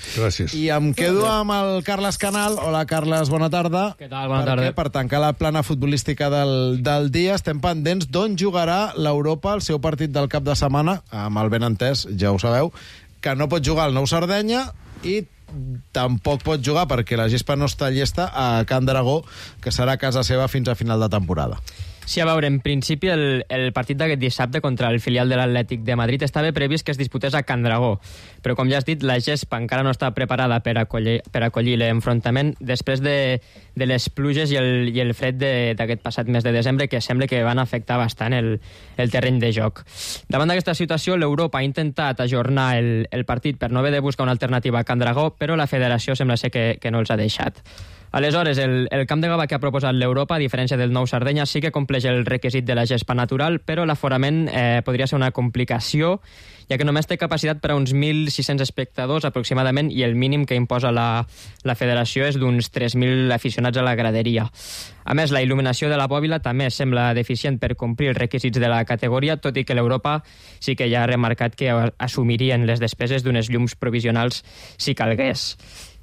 Gràcies. I em quedo amb el Carles Canal. Hola, Carles, bona tarda. Què tal? Bona tarda. Per tancar la plana futbolística del dia, estem pendents d'on jugarà l'Europa el seu partit del cap de setmana, amb el benentès, ja ho sabeu, que no pot jugar al Nou Sardenya i tampoc pot jugar, perquè la gespa no està llesta, a Can Dragó, que serà a casa seva fins a final de temporada. Sí, a veure, en principi el partit d'aquest dissabte contra el filial de l'Atlètic de Madrid estava previst que es disputés a Can Dragó, però com ja has dit, la gespa encara no està preparada per acollir l'enfrontament després de les pluges i el fred d'aquest passat mes de desembre, que sembla que van afectar bastant el terreny de joc. Davant d'aquesta situació, l'Europa ha intentat ajornar el partit per no haver de buscar una alternativa a Can Dragó, però la federació sembla ser que no els ha deixat. Aleshores, el camp de Gavà que ha proposat l'Europa, a diferència del Nou Sardenya, sí que compleix el requisit de la gespa natural, però l'aforament podria ser una complicació, ja que només té capacitat per a uns 1.600 espectadors aproximadament, i el mínim que imposa la federació és d'uns 3.000 aficionats a la graderia. A més, la il·luminació de la bòbila també sembla deficient per complir els requisits de la categoria, tot i que l'Europa sí que ja ha remarcat que assumirien les despeses d'unes llums provisionals si calgués.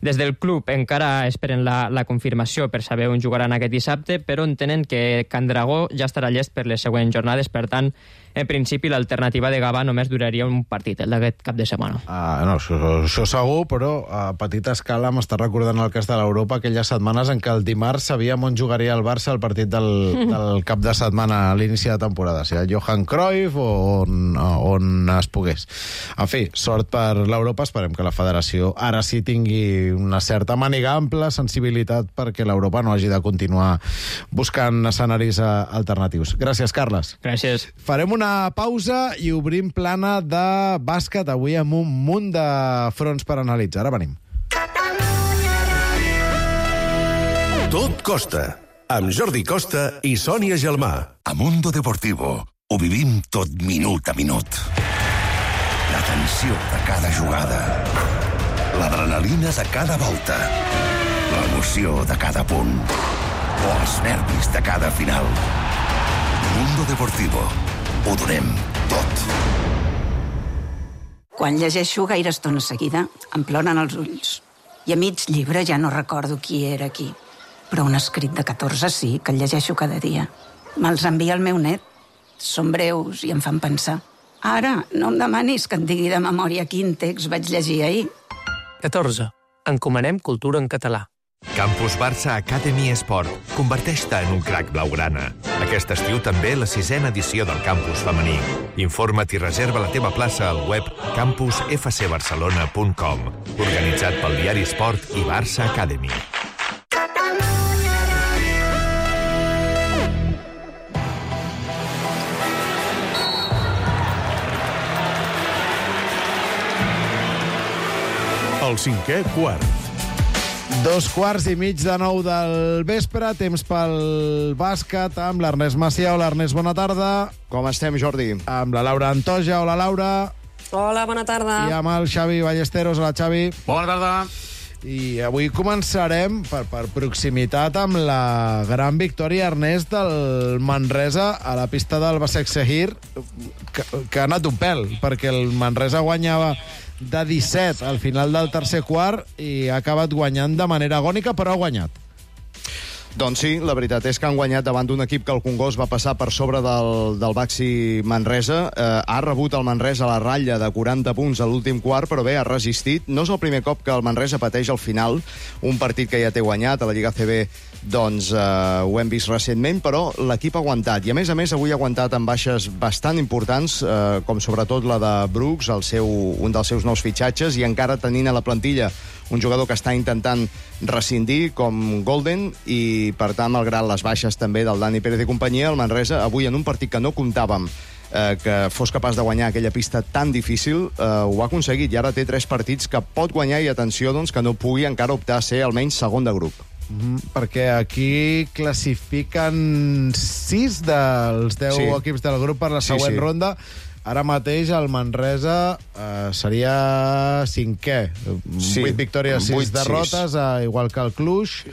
Des del club encara esperen la confirmació per saber on jugaran aquest dissabte, però entenen que Can Dragó ja estarà llest per les següents jornades, per tant, en principi l'alternativa de Gavà només duraria un partit, el d'aquest cap de setmana. No, això segur, però a petita escala m'està recordant el cas de l'Europa, aquelles setmanes en què el dimarts sabíem on jugaria el Barça el partit del cap de setmana a l'inici de temporada, sigui Johan Cruyff o on es pogués. En fi, sort per l'Europa, esperem que la federació ara sí tingui una certa màniga ampla, sensibilitat, perquè l'Europa no hagi de continuar buscant escenaris alternatius. Gràcies, Carles. Gràcies. Farem una pausa i obrim plana de bàsquet, avui amb un munt de fronts per analitzar. Ara venim. Tot Costa, amb Jordi Costa i Sònia Gelmà. A Mundo Deportivo ho vivim tot minut a minut. La tensió de cada jugada, l'adrenalina de cada volta, l'emoció de cada punt o els nervis de cada final. Mundo Deportivo. Ho donem tot. Quan llegeixo gaire estona seguida, em ploren els ulls. I a mig llibre ja no recordo qui era qui. Però un escrit de 14 sí, que el llegeixo cada dia. Me'ls envia el meu net. Són breus i em fan pensar. Ara, no em demanis que et digui de memòria quin text vaig llegir ahir. 14. Encomanem cultura en català. Campus Barça Academy Esport. Converteix-te en un crac blaugrana. Aquest estiu també la 6a edició del campus femení. Informa't i reserva la teva plaça al web campusfcbarcelona.com. Organitzat pel diari Esport i Barça Academy. El cinquè quart. 2:15 del vespre, temps pel bàsquet amb l'Ernest Macià. Hola, Ernest, bona tarda. Com estem, Jordi? Amb la Laura Antoja. Hola, Laura. Hola, bona tarda. I amb el Xavi Ballesteros. Hola, Xavi. Bona tarda. I avui començarem, per proximitat, amb la gran victòria, Ernest, del Manresa a la pista del Basek Sehir, que ha anat un pèl, perquè el Manresa guanyava de 17 al final del tercer quart i ha acabat guanyant de manera agònica, però ha guanyat. Doncs sí, la veritat és que han guanyat davant d'un equip que el Congost va passar per sobre del Baxi Manresa. Ha rebut el Manresa a la ratlla de 40 punts a l'últim quart, però bé, ha resistit. No és el primer cop que el Manresa pateix al final, un partit que ja té guanyat a la Lliga CB, doncs ho hem vist recentment, però l'equip ha aguantat. I a més, avui ha aguantat amb baixes bastant importants, com sobretot la de Brooks, un dels seus nous fitxatges, i encara tenint a la plantilla un jugador que està intentant rescindir com Golden, i per tant, malgrat les baixes també del Dani Pérez i companyia, el Manresa avui en un partit que no comptàvem que fos capaç de guanyar aquella pista tan difícil, ho ha aconseguit, i ara té 3 partits que pot guanyar, i atenció, doncs, que no pugui encara optar a ser almenys segon de grup. Perquè aquí classifiquen 6 dels 10 equips del grup per la següent ronda. ara mateix el Manresa seria 5è. 8 victòries, 6 derrotes, igual que el Cluj.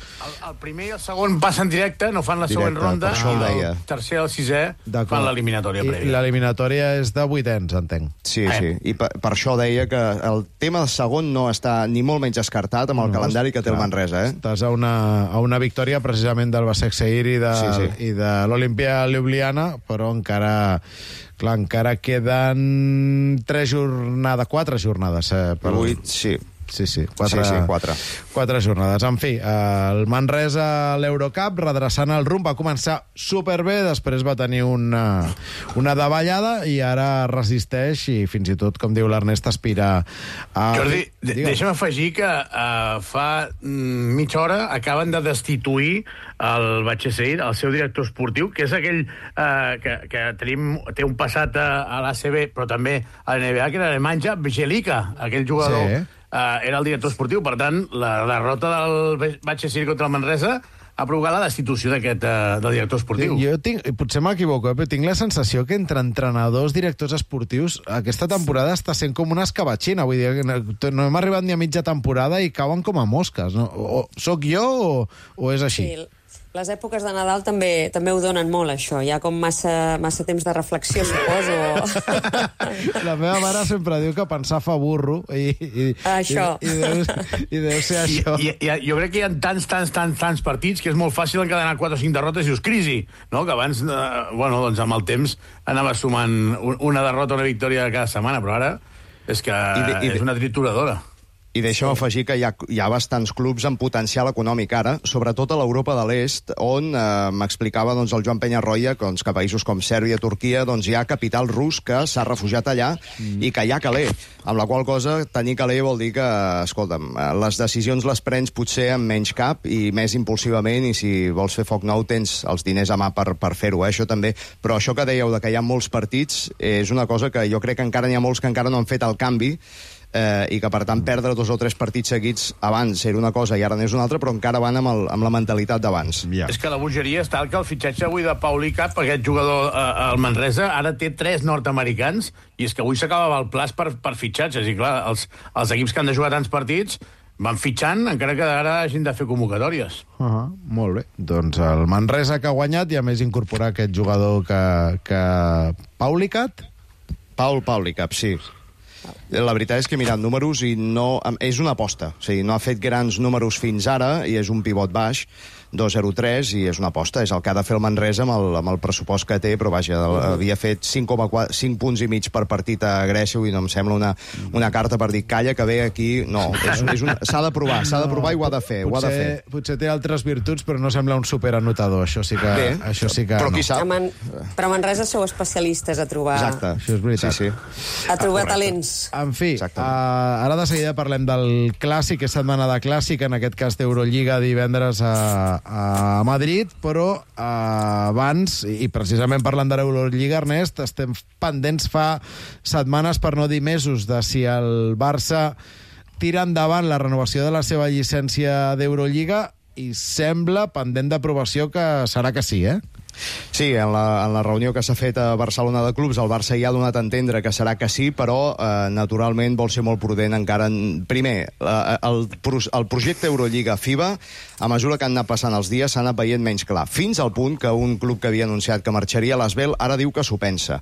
El primer i el segon passen directe, no fan la següent ronda. El tercer i el sisè fan l'eliminatòria prèvia. L'eliminatòria és de 8ens, entenc. Sí. I per això deia que el tema del segon no està ni molt menys descartat amb el calendari que té el Manresa. Estàs a una victòria precisament del Basek Seir i de l'Olimpia Ljubljana, però encara queden 4 jornades. 8, sí. Sí, 4 jornades. En fi, el Manresa a l'Eurocup, redreçant el rumb, va començar superbé, després va tenir una davallada i ara resisteix i fins i tot, com diu l'Ernest, aspira a... Jordi, deixa'm afegir que fa mitja hora acaben de destituir el Batxeseir, el seu director esportiu, que és aquell que té un passat a l'ACB, però també a l'NBA, que era Nemanja Bjelica, aquell jugador... era el director esportiu. Per tant, la derrota del Batxeseir contra el Manresa ha provocat la destitució del director esportiu. Jo potser m'equivoco, però tinc la sensació que entre entrenadors, directors esportius, aquesta temporada està sent com una escabatxina. Vull dir, no hem arribat ni a mitja temporada i cauen com a mosques. No? Soc jo o és així? Sí. Les èpoques de Nadal també ho donen molt, això. Hi ha com massa temps de reflexió, suposo. La meva mare sempre diu que pensar fa burro. Això. I deu ser això. Jo crec que hi ha tants partits que és molt fàcil encadenar 4 o 5 derrotes i dius crisi, no? Que abans, doncs amb el temps anava sumant una derrota o una victòria cada setmana, però ara és que és una trituradora. I deixa'm afegir que hi ha bastants clubs amb potencial econòmic ara, sobretot a l'Europa de l'Est, on m'explicava el Joan Penyarroia que a països com Sèrbia, Turquia, hi ha capital rus que s'ha refugiat allà i que hi ha caler. Amb la qual cosa, tenir caler vol dir que, escolta'm, les decisions les prens potser amb menys cap i més impulsivament, i si vols fer foc nou tens els diners a mà per fer-ho, això també. Però això que dèieu de que hi ha molts partits és una cosa que jo crec que encara n'hi ha molts que encara no han fet el canvi, i que, per tant, perdre 2 o 3 partits seguits abans era una cosa i ara n'és una altra, però encara van amb la mentalitat d'abans. És que la bogeria està que el fitxatge avui de Pauli Cap, aquest jugador al Manresa, ara té 3 nord-americans, i és que avui s'acabava el plaç per fitxatges, i clar, els equips que han de jugar tants partits van fitxant, encara que ara hagin de fer convocatòries. Molt bé. Doncs el Manresa que ha guanyat i a més incorporar aquest jugador que... Pauli Cap? Pauli Cap, sí. La veritat és que he mirat números i és una aposta. O sigui, no ha fet grans números fins ara i és un pivot baix, 2,03, i és una aposta. És el que ha de fer el Manresa amb el pressupost que té, però vaja, havia fet 5 punts i mig per partit a Grècia i no em sembla una carta per dir calla que ve aquí. No, s'ha de provar i ho ha de fer. Potser té altres virtuts, però no sembla un superanotador. Això sí que però qui sap? Però a Manresa sou especialistes a trobar... Exacte. Això és veritat. Sí. A trobar talents. En fi, ara de seguida parlem del clàssic, és setmana de clàssic, en aquest cas d'Eurolliga divendres a Madrid, però abans, i precisament parlant de l'Eurolliga, Ernest, estem pendents fa setmanes, per no dir mesos, de si el Barça tira endavant la renovació de la seva llicència d'Eurolliga, i sembla pendent d'aprovació que serà que sí, Sí, en la reunió que s'ha fet a Barcelona de clubs, el Barça ja ha donat a entendre que serà que sí, però naturalment vol ser molt prudent encara. Primer, el projecte Eurolliga FIBA, a mesura que han anat passant els dies, s'ha anat veient menys clar, fins al punt que un club que havia anunciat que marxaria a l'Asbel ara diu que s'ho pensa.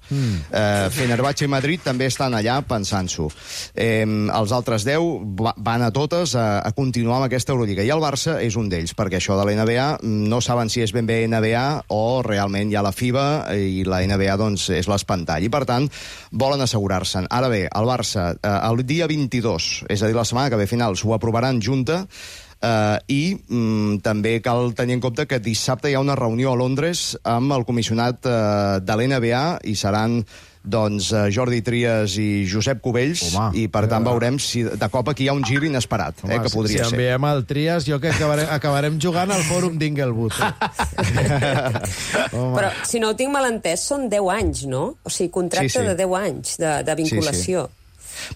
Fenerbahçe i Madrid també estan allà pensant-s'ho. Els altres 10 van a totes a continuar amb aquesta Eurolliga, i el Barça és un d'ells, perquè això de la NBA no saben si és ben bé NBA o realment hi ha la FIBA i la NBA doncs és l'espantall, i per tant volen assegurar-se'n. Ara bé, el Barça el dia 22, és a dir, la setmana que ve finals, ho aprovaran junta, i també cal tenir en compte que dissabte hi ha una reunió a Londres amb el comissionat de l'NBA i seran Jordi Trias i Josep Cubells, i per tant veurem si de cop aquí hi ha un gir inesperat, que podria ser. Si enviem el Trias, jo que acabarem jugant al fòrum d'Inglewood. Però, si no ho tinc mal entès, són 10 anys, no? O sigui, contracte de 10 anys de vinculació. Sí.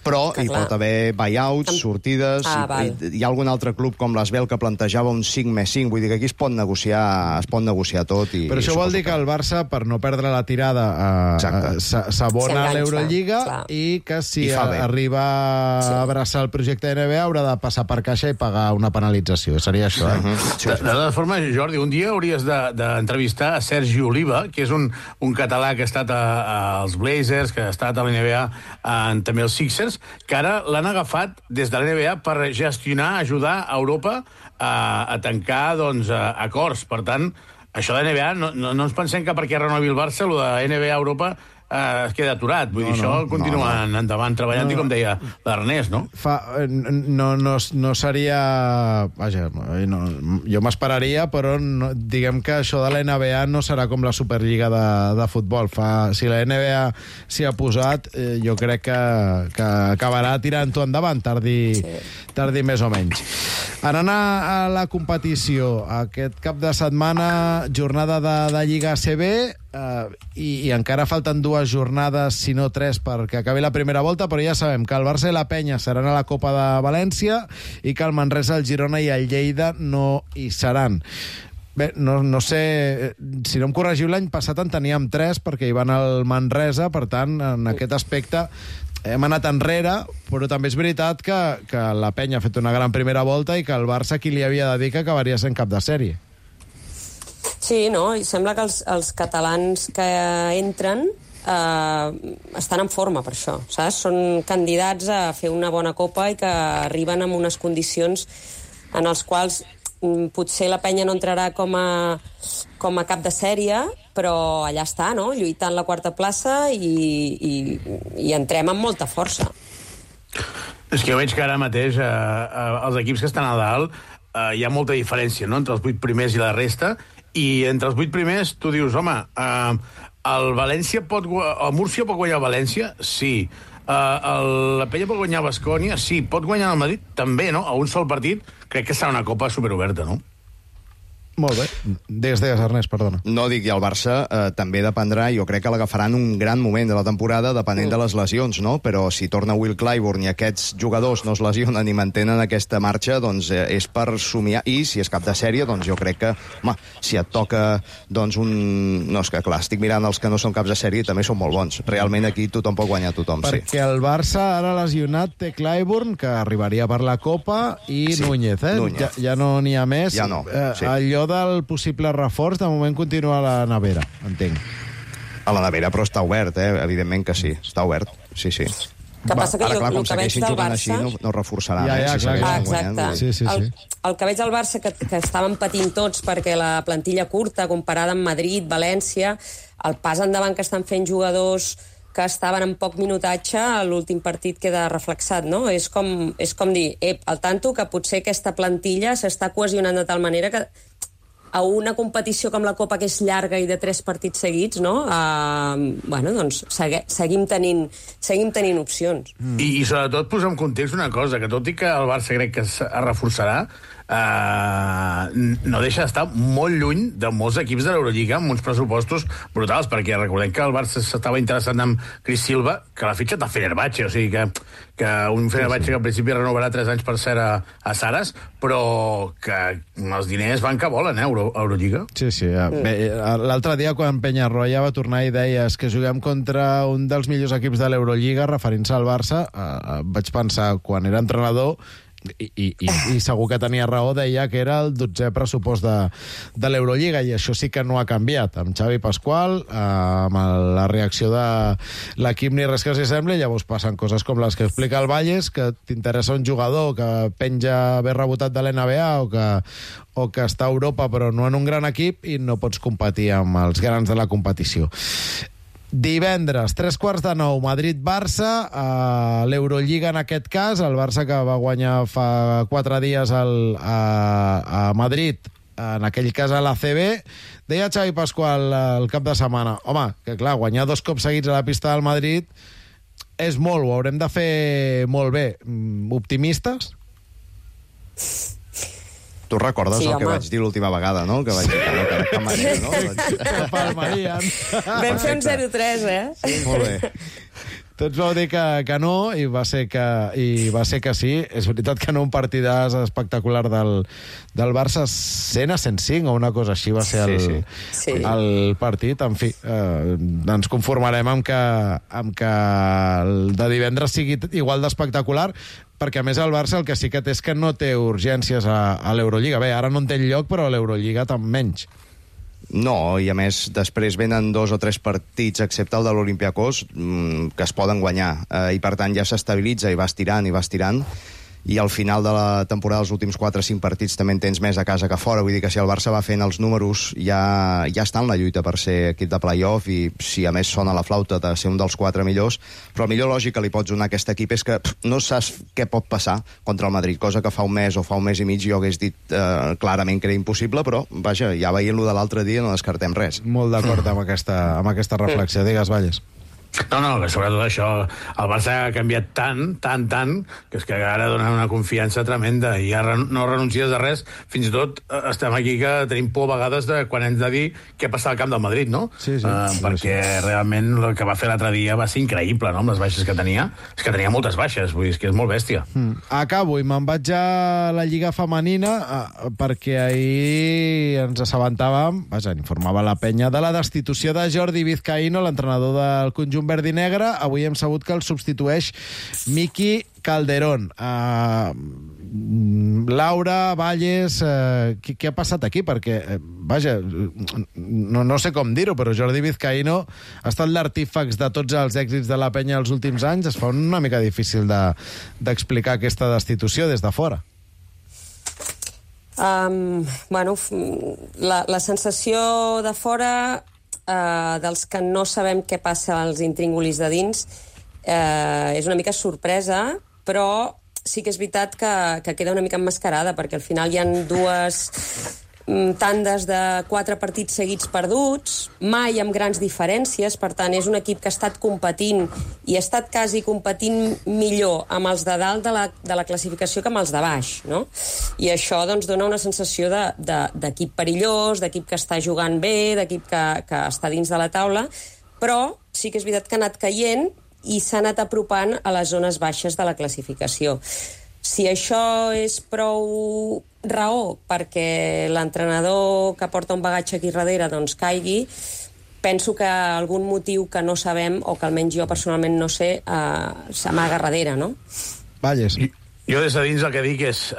Però hi pot haver buyouts, sortides... Hi ha algun altre club com l'Esbel que plantejava un 5+5, vull dir que aquí es pot negociar tot. Però això vol dir que el Barça, per no perdre la tirada, s'abona a l'Eurolliga i que si arriba a abraçar el projecte de NBA haurà de passar per caixa i pagar una penalització. Seria això, De totes formes, Jordi, un dia hauries d'entrevistar a Sergi Oliva, que és un català que ha estat als Blazers, que ha estat a l'NBA, també als Sixers, que ara l'han agafat des de l'NBA per gestionar, ajudar a Europa a tancar acords. Per tant, això de l'NBA, no ens pensem que perquè renovi el Barça, el de NBA a Europa es queda aturat. Vull dir, això continuen endavant treballant, i com deia l'Ernest, no? No seria... Vaja, jo m'esperaria, però diguem que això de la NBA no serà com la Superliga de futbol. Si la NBA s'hi ha posat, jo crec que acabarà tirant-ho endavant, tardi més o menys. Anant a la competició, aquest cap de setmana, jornada de Lliga ACB, i encara falten 2 jornades, si no 3, perquè acabi la primera volta, però ja sabem que el Barça i la Penya seran a la Copa de València i que el Manresa, el Girona i el Lleida no hi seran. Bé, no sé, si no em corregiu, l'any passat en teníem 3 perquè hi van al Manresa, per tant, en aquest aspecte hem anat enrere, però també és veritat que la Penya ha fet una gran primera volta i que el Barça, qui li havia de dir que acabaria sent cap de sèrie. Sí, no? I sembla que els catalans que entren estan en forma per això, saps? Són candidats a fer una bona copa i que arriben amb unes condicions en els quals potser la Penya no entrarà com a cap de sèrie, però allà està, no? Lluitant la quarta plaça i entrem amb molta força. És que jo veig que ara mateix els equips que estan a dalt hi ha molta diferència, no?, entre els 8 primers i la resta, i entre els 8 primers tu dius, home, el Múrcia pot guanyar el València? Sí. La Penya pot guanyar el Baskonia? Sí. Pot guanyar el Madrid? També, no? A un sol partit crec que serà una copa superoberta, no? Molt bé. Digues, Ernest, perdona. No dic, i el Barça també dependrà, jo crec que l'agafaran un gran moment de la temporada depenent de les lesions, no? Però si torna Will Clyburn i aquests jugadors no es lesionen i mantenen aquesta marxa, doncs és per somiar. I si és cap de sèrie, doncs jo crec que, home, si et toca doncs No, és que clar, estic mirant els que no són caps de sèrie i també són molt bons. Realment aquí tothom pot guanyar tothom, sí. Perquè el Barça ara lesionat té Clyburn, que arribaria per la Copa, i Núñez, Núñez. Ja no n'hi ha més. Ja no, sí. Allò del possible reforç, de moment continua a la nevera, entenc. A la nevera, però està obert, evidentment que sí, està obert, sí. Que passa que clar, com el que veig del Barça... Així, no reforçarà més. Exacte. Sí. El que veig del Barça, que estaven patint tots perquè la plantilla curta, comparada amb Madrid, València, el pas endavant que estan fent jugadors que estaven en poc minutatge, l'últim partit queda reflexat, no? És com dir, al tanto que potser aquesta plantilla s'està cohesionant de tal manera que a una competició com la Copa, que és llarga i de 3 partits seguits, no? Doncs seguim tenint opcions. I sobretot posar en context una cosa, que tot i que el Barça crec que es reforçarà, no deixa d'estar molt lluny de molts equips de l'Eurolliga amb uns pressupostos brutals, perquè recordem que el Barça s'estava interessant amb Chris Silva, que l'ha fitxat a Fenerbahçe, o sigui que un Fenerbahçe que al principi renovarà 3 anys per ser a Saras, però que els diners van que volen, Eurolliga. Sí. L'altre dia, quan Peñarroya va tornar i deia que juguem contra un dels millors equips de l'Eurolliga, referint-se al Barça, vaig pensar, quan era entrenador, i segur que tenia raó, deia que era el 12è pressupost de l'Eurolliga, i això sí que no ha canviat amb Xavi Pasqual, amb la reacció de l'equip ni res que s'hi sembli. Llavors passen coses com les que explica el Valles, que t'interessa un jugador que penja ben rebotat de l'NBA o que està a Europa però no en un gran equip, i no pots competir amb els grans de la competició. Divendres, 8:45, Madrid-Barça, l'Eurolliga en aquest cas, el Barça que va guanyar fa 4 dies a Madrid, en aquell cas a l'ACB. Deia Xavi Pasqual el cap de setmana, home, que clar, guanyar 2 cops seguits a la pista del Madrid és molt, ho haurem de fer molt bé. Optimistes? Tu recordes el que vaig dir l'última vegada, no? Que vaig dir que Maria, no? Vam fer un 0-3, Sí, molt bé. Tots vau dir que no, i va ser que sí. És veritat que no un partidàs espectacular del Barça, 100-105 o una cosa així va ser el partit. En fi, ens conformarem amb que el de divendres sigui igual d'espectacular, perquè a més el Barça el que sí que té és que no té urgències a l'Eurolliga. Bé, ara no en té lloc, però a l'Eurolliga tant menys. No, i a més després venen 2 o 3 partits, excepte el de l'Olympiacos, que es poden guanyar, i per tant ja s'estabilitza i va estirant, i al final de la temporada, els últims 4 o 5 partits, també en tens més a casa que a fora. Vull dir que si el Barça va fent els números, ja està en la lluita per ser equip de play-off, i si a més sona la flauta de ser un dels 4 millors, però el millor lògic que li pots donar a aquest equip és que no saps què pot passar contra el Madrid, cosa que fa un mes o fa un mes i mig jo hagués dit clarament que era impossible, però vaja, ja veient-lo de l'altre dia no descartem res. Molt d'acord amb aquesta reflexió. Digues, Valles. No, que sobretot això, el Barça ha canviat tant, que és que ara dona una confiança tremenda i ja no renuncies a res. Fins i tot estem aquí que tenim por a vegades de quan hem de dir què passa al camp del Madrid, no? Sí. Perquè realment el que va fer l'altre dia va ser increïble, no?, amb les baixes que tenia. És que tenia moltes baixes, vull dir, és que és molt bèstia. Acabo i me'n vaig a la Lliga Femenina perquè ahir ens assabentàvem, informava la penya de la destitució de Jordi Vizcaíno, l'entrenador del conjunt verd i negre. Avui hem sabut que el substitueix Miki Calderón. Laura, Valles, què ha passat aquí? Perquè, vaja, no sé com dir-ho, però Jordi Vizcaíno ha estat l'artífex de tots els èxits de la penya els últims anys. Es fa una mica difícil d'explicar aquesta destitució des de fora. La sensació de fora, dels que no sabem què passa als intríngulis de dins, és una mica sorpresa, però sí que és veritat que queda una mica emmascarada, perquè al final hi ha 2 tandes de 4 partits seguits perduts, mai amb grans diferències. Per tant, és un equip que ha estat competint i ha estat quasi competint millor amb els de dalt de la classificació que amb els de baix, no? I això doncs dona una sensació d'equip perillós, d'equip que està jugant bé, d'equip que està dins de la taula, però sí que és veritat que ha anat caient i s'ha anat apropant a les zones baixes de la classificació. Si això és prou raó perquè l'entrenador que porta un bagatge aquí darrere doncs caigui, penso que algun motiu que no sabem, o que almenys jo personalment no sé, s'amaga darrere, no? Valles. Jo des de dins el que dic és,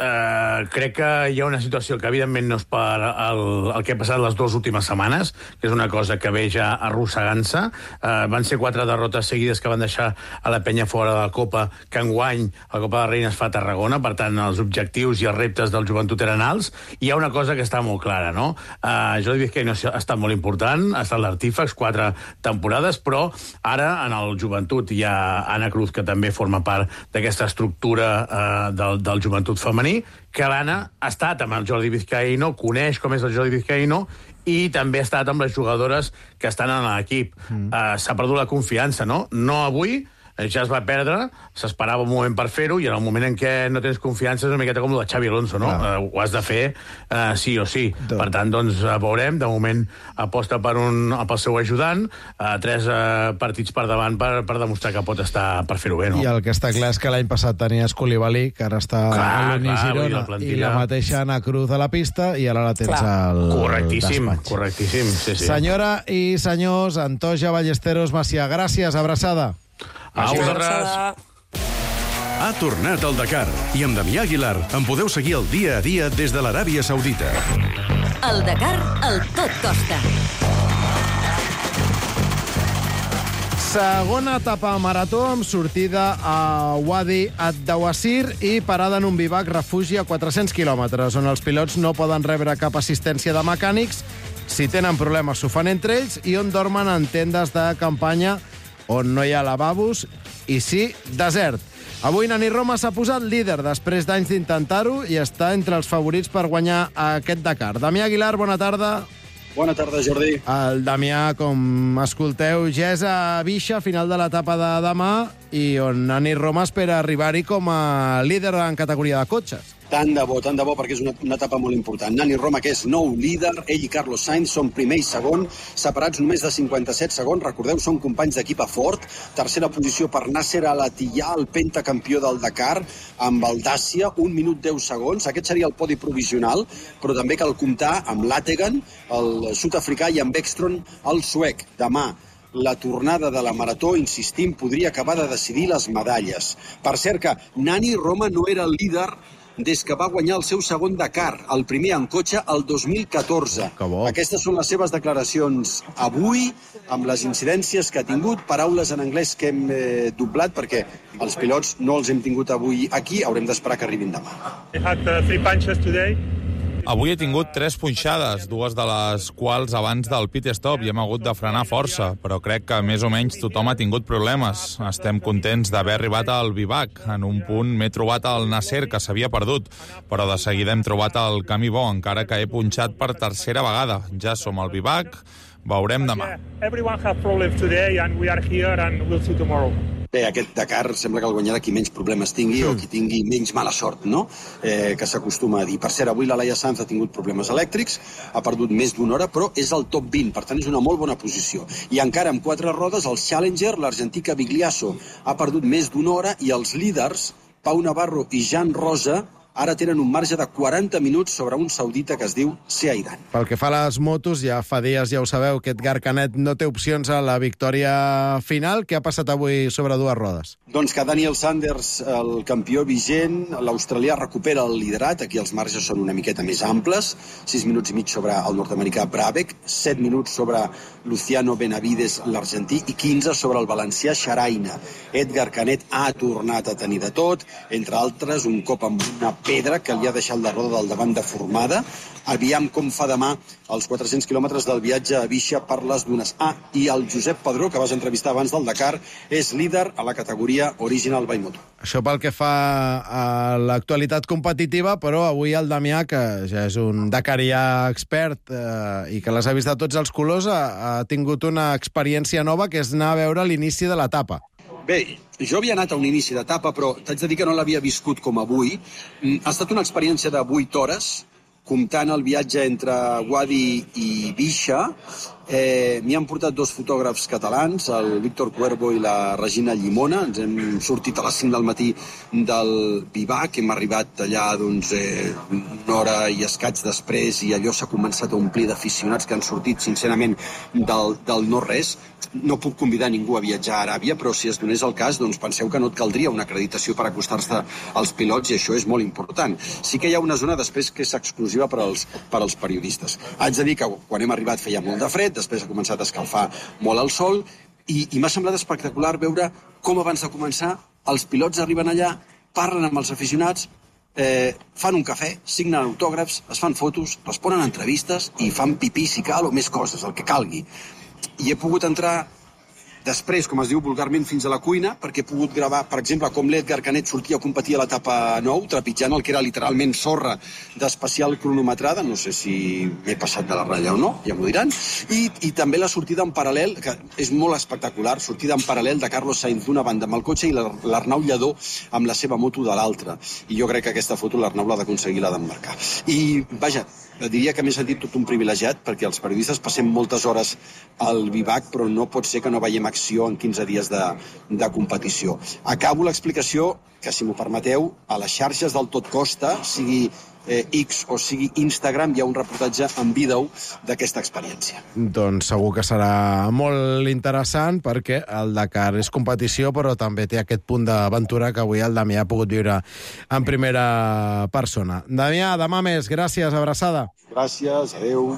crec que hi ha una situació que evidentment no és per el que ha passat les 2 últimes setmanes, que és una cosa que ve ja arrossegant-se. Van ser 4 derrotes seguides que van deixar a la penya fora de la Copa, que enguany la Copa de Reina es fa a Tarragona, per tant els objectius i els reptes del joventut eren alts. I hi ha una cosa que està molt clara, no? Jordi Vizcaíno ha estat molt important, ha estat l'artífex 4 temporades, però ara en el joventut hi ha Anna Cruz, que també forma part d'aquesta estructura del joventut femení, que l'Anna ha estat amb el Jordi Vizcaíno, coneix com és el Jordi Vizcaíno, i també ha estat amb les jugadores que estan en l'equip. S'ha perdut la confiança, no? No avui, ja es va perdre, s'esperava un moment per fer-ho, i en el moment en què no tens confiança és una miqueta com el de Xavi Alonso, no? Ho has de fer sí o sí. Per tant, doncs, veurem. De moment aposta pel seu ajudant, 3 partits per davant per demostrar que pot estar per fer-ho bé, no? I el que està clar és que l'any passat tenies Koulibaly, que ara està a l'Uni Girona, i la mateixa Anna Cruz a la pista, i ara la tens al despatx. Correctíssim, sí. Senyora i senyors, Antoja, Ballesteros, Macià, gràcies, abraçada. A vosaltres. Ha tornat el Dakar i amb Damià Aguilar en podeu seguir el dia a dia des de l'Aràbia Saudita. El Dakar, el tot costa. Segona etapa marató amb sortida a Wadi ad-Dawasir i parada en un bivac refugi a 400 quilòmetres, on els pilots no poden rebre cap assistència de mecànics. Si tenen problemes s'ho fan entre ells, i on dormen en tendes de campanya on no hi ha lavabos i sí, desert. Avui Nani Roma s'ha posat líder després d'anys d'intentar-ho i està entre els favorits per guanyar aquest Dakar. Damià Aguilar, bona tarda. Bona tarda, Jordi. El Damià, com escolteu, ja és a Bixa, final de l'etapa de demà, i on Nani Roma espera arribar-hi com a líder en categoria de cotxes. Tant de bo, perquè és una etapa molt important. Nani Roma, que és nou líder, ell i Carlos Sainz són primer i segon, separats només de 57 segons. Recordeu, són companys d'equip a Ford. Tercera posició per Nasser Al-Attiyah, el pentacampió del Dakar, amb el Dacia, 1 minut 10 segons. Aquest seria el podi provisional, però també cal comptar amb Lategan, el sud-africà, i amb Ekstrom, el suec. Demà, la tornada de la marató, insistim, podria acabar de decidir les medalles. Per cert que Nani Roma no era el líder des que va guanyar el seu segon Dakar, el primer en cotxe, el 2014. Aquestes són les seves declaracions avui, amb les incidències que ha tingut, paraules en anglès que hem doblat, perquè els pilots no els hem tingut avui aquí, haurem d'esperar que arribin demà. Avui he tingut 3 punxades, 2 de les quals abans del pit stop, i hem hagut de frenar força, però crec que més o menys tothom ha tingut problemes. Estem contents d'haver arribat al Vivac. En un punt m'he trobat el Nasser, que s'havia perdut, però de seguida hem trobat el camí bo, encara que he punxat per tercera vegada. Ja som al Vivac, veurem demà. Bé, aquest Dakar sembla que el guanyarà qui menys problemes tingui o qui tingui menys mala sort, no? Que s'acostuma a dir. Per cert, avui la Laia Sanz ha tingut problemes elèctrics, ha perdut més d'una hora, però és al top 20, per tant és una molt bona posició. I encara amb 4 rodes, el Challenger, l'argentí Cavigliasso, ha perdut més d'una hora i els líders, Pau Navarro i Jan Rosa, ara tenen un marge de 40 minuts sobre un saudita que es diu Seaidan. Pel que fa a les motos, ja fa dies, ja ho sabeu, que Edgar Canet no té opcions a la victòria final. Què ha passat avui sobre 2 rodes? Doncs que Daniel Sanders, el campió vigent, l'australià recupera el liderat, aquí els marges són una miqueta més amples, 6 minuts i mig sobre el nord-americà Brabec, 7 minuts sobre Luciano Benavides, l'argentí, i 15 sobre el valencià Xaraina. Edgar Canet ha tornat a tenir de tot, entre altres, un cop amb una pedra que li ha deixat la roda del davant deformada. Aviam com fa demà els 400 quilòmetres del viatge a Bixia per les dunes. I el Josep Padró, que vas entrevistar abans del Dakar, és líder a la categoria Original by Moto. Això pel que fa a l'actualitat competitiva, però avui el Damià, que ja és un dakarià expert i que les ha vist de tots els colors, ha tingut una experiència nova, que és anar a veure l'inici de l'etapa. Bé, jo havia anat a un inici d'etapa, però t'haig de dir que no l'havia viscut com avui. Ha estat una experiència de 8 hores, comptant el viatge entre Guadi i Bixia. M'hi han portat 2 fotògrafs catalans, el Víctor Cuervo i la Regina Llimona. Ens hem sortit a les 5 del matí del Vivac, hem arribat allà una hora i escaig després, i allò s'ha començat a omplir d'aficionats que han sortit, sincerament, del no-res. No puc convidar ningú a viatjar a Aràbia, però si es donés el cas, doncs penseu que no et caldria una acreditació per acostar-se als pilots, i això és molt important. Sí que hi ha una zona després que és exclusiva per als periodistes. Haig de dir que quan hem arribat feia molt de fred, després ha començat a escalfar molt el sol, i m'ha semblat espectacular veure com abans de començar els pilots arriben allà, parlen amb els aficionats, fan un cafè, signen autògrafs, es fan fotos, responen a entrevistes i fan pipí si cal o més coses, el que calgui. I he pogut entrar després, com es diu vulgarment, fins a la cuina, perquè he pogut gravar, per exemple, com l'Edgar Canet sortia a competir a l'etapa 9, trepitjant el que era literalment sorra d'especial cronometrada, no sé si m'he passat de la ratlla o no, ja m'ho diran, i també la sortida en paral·lel, que és molt espectacular, sortida en paral·lel de Carlos Sainz d'una banda amb el cotxe i l'Arnau Lledó amb la seva moto de l'altra. I jo crec que aquesta foto l'Arnau l'ha d'aconseguir, l'ha d'emmarcar. I, vaja, diria que m'he sentit tot un privilegiat, perquè els periodistes passem moltes hores al Vivac, però no pot ser que no veiem acció en 15 dies de competició. Acabo l'explicació, que si m'ho permeteu, a les xarxes del Tot Costa, sigui X o sigui Instagram, hi ha un reportatge en vídeo d'aquesta experiència. Doncs segur que serà molt interessant, perquè el Dakar és competició, però també té aquest punt d'aventura que avui el Damià ha pogut viure en primera persona. Damià, demà més. Gràcies, abraçada. Gràcies, adeu.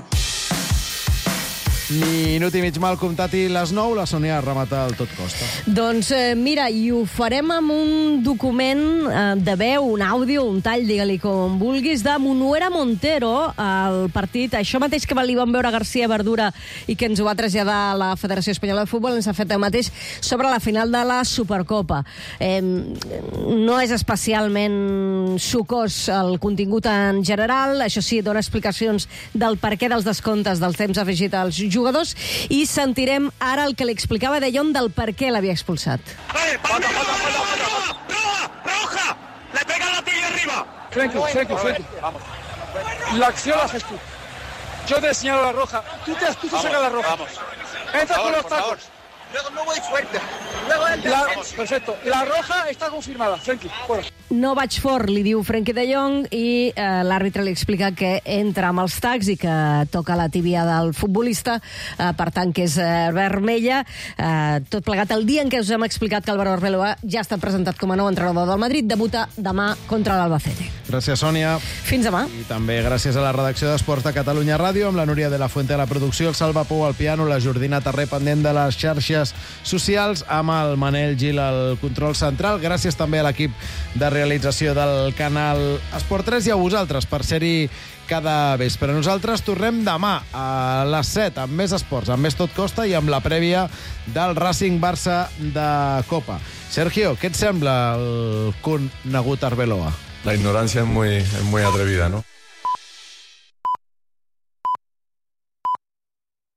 Minut i mig mal comptat i les 9, la Sònia remata el Tot Costa. Doncs mira, i ho farem amb un document de veu, un àudio, un tall, digue-li com vulguis, de Munuera Montero, el partit, això mateix que li vam veure a García Verdura i que ens ho va traslladar a la Federació Espanyola de Futbol, ens ha fet el mateix sobre la final de la Supercopa. No és especialment sucós el contingut en general, això sí, dona explicacions del perquè dels descomptes del temps afegit als jugadors, i sentirem ara el que li explicava De Jong del per què l'havia expulsat. ¡Roja! ¡Le pega la tibia arriba! Frenkie. La acción la haces tú. Yo te señalo la roja. Tú sacas la roja. Entra con los tacos. Luego no voy fuerte. Perfecto. La roja está confirmada. Frenkie, fuera. No vaig fort, li diu Frenkie de Jong, i l'àrbitre li explica que entra amb els tacs i que toca la tíbia del futbolista, per tant que és vermella. Tot plegat el dia en què us hem explicat que Álvaro Arbeloa ja ha estat presentat com a nou entrenador del Madrid, debuta demà contra l'Albacete. Gràcies, Sònia. Fins demà. I també gràcies a la redacció d'Esports de Catalunya Ràdio, amb la Núria de la Fuente a la producció, el Salva Pou al piano, la Jordina Tarré pendent de les xarxes socials, amb el Manel Gil al control central. Gràcies també a l'equip de realització del canal Esport 3 i a vosaltres per ser-hi cada vespre. Nosaltres tornem demà a les 7 amb més esports, amb més Tot Costa i amb la prèvia del Racing Barça de Copa. Sergio, què et sembla el conegut Arbeloa? La ignorancia es muy atrevida, ¿no?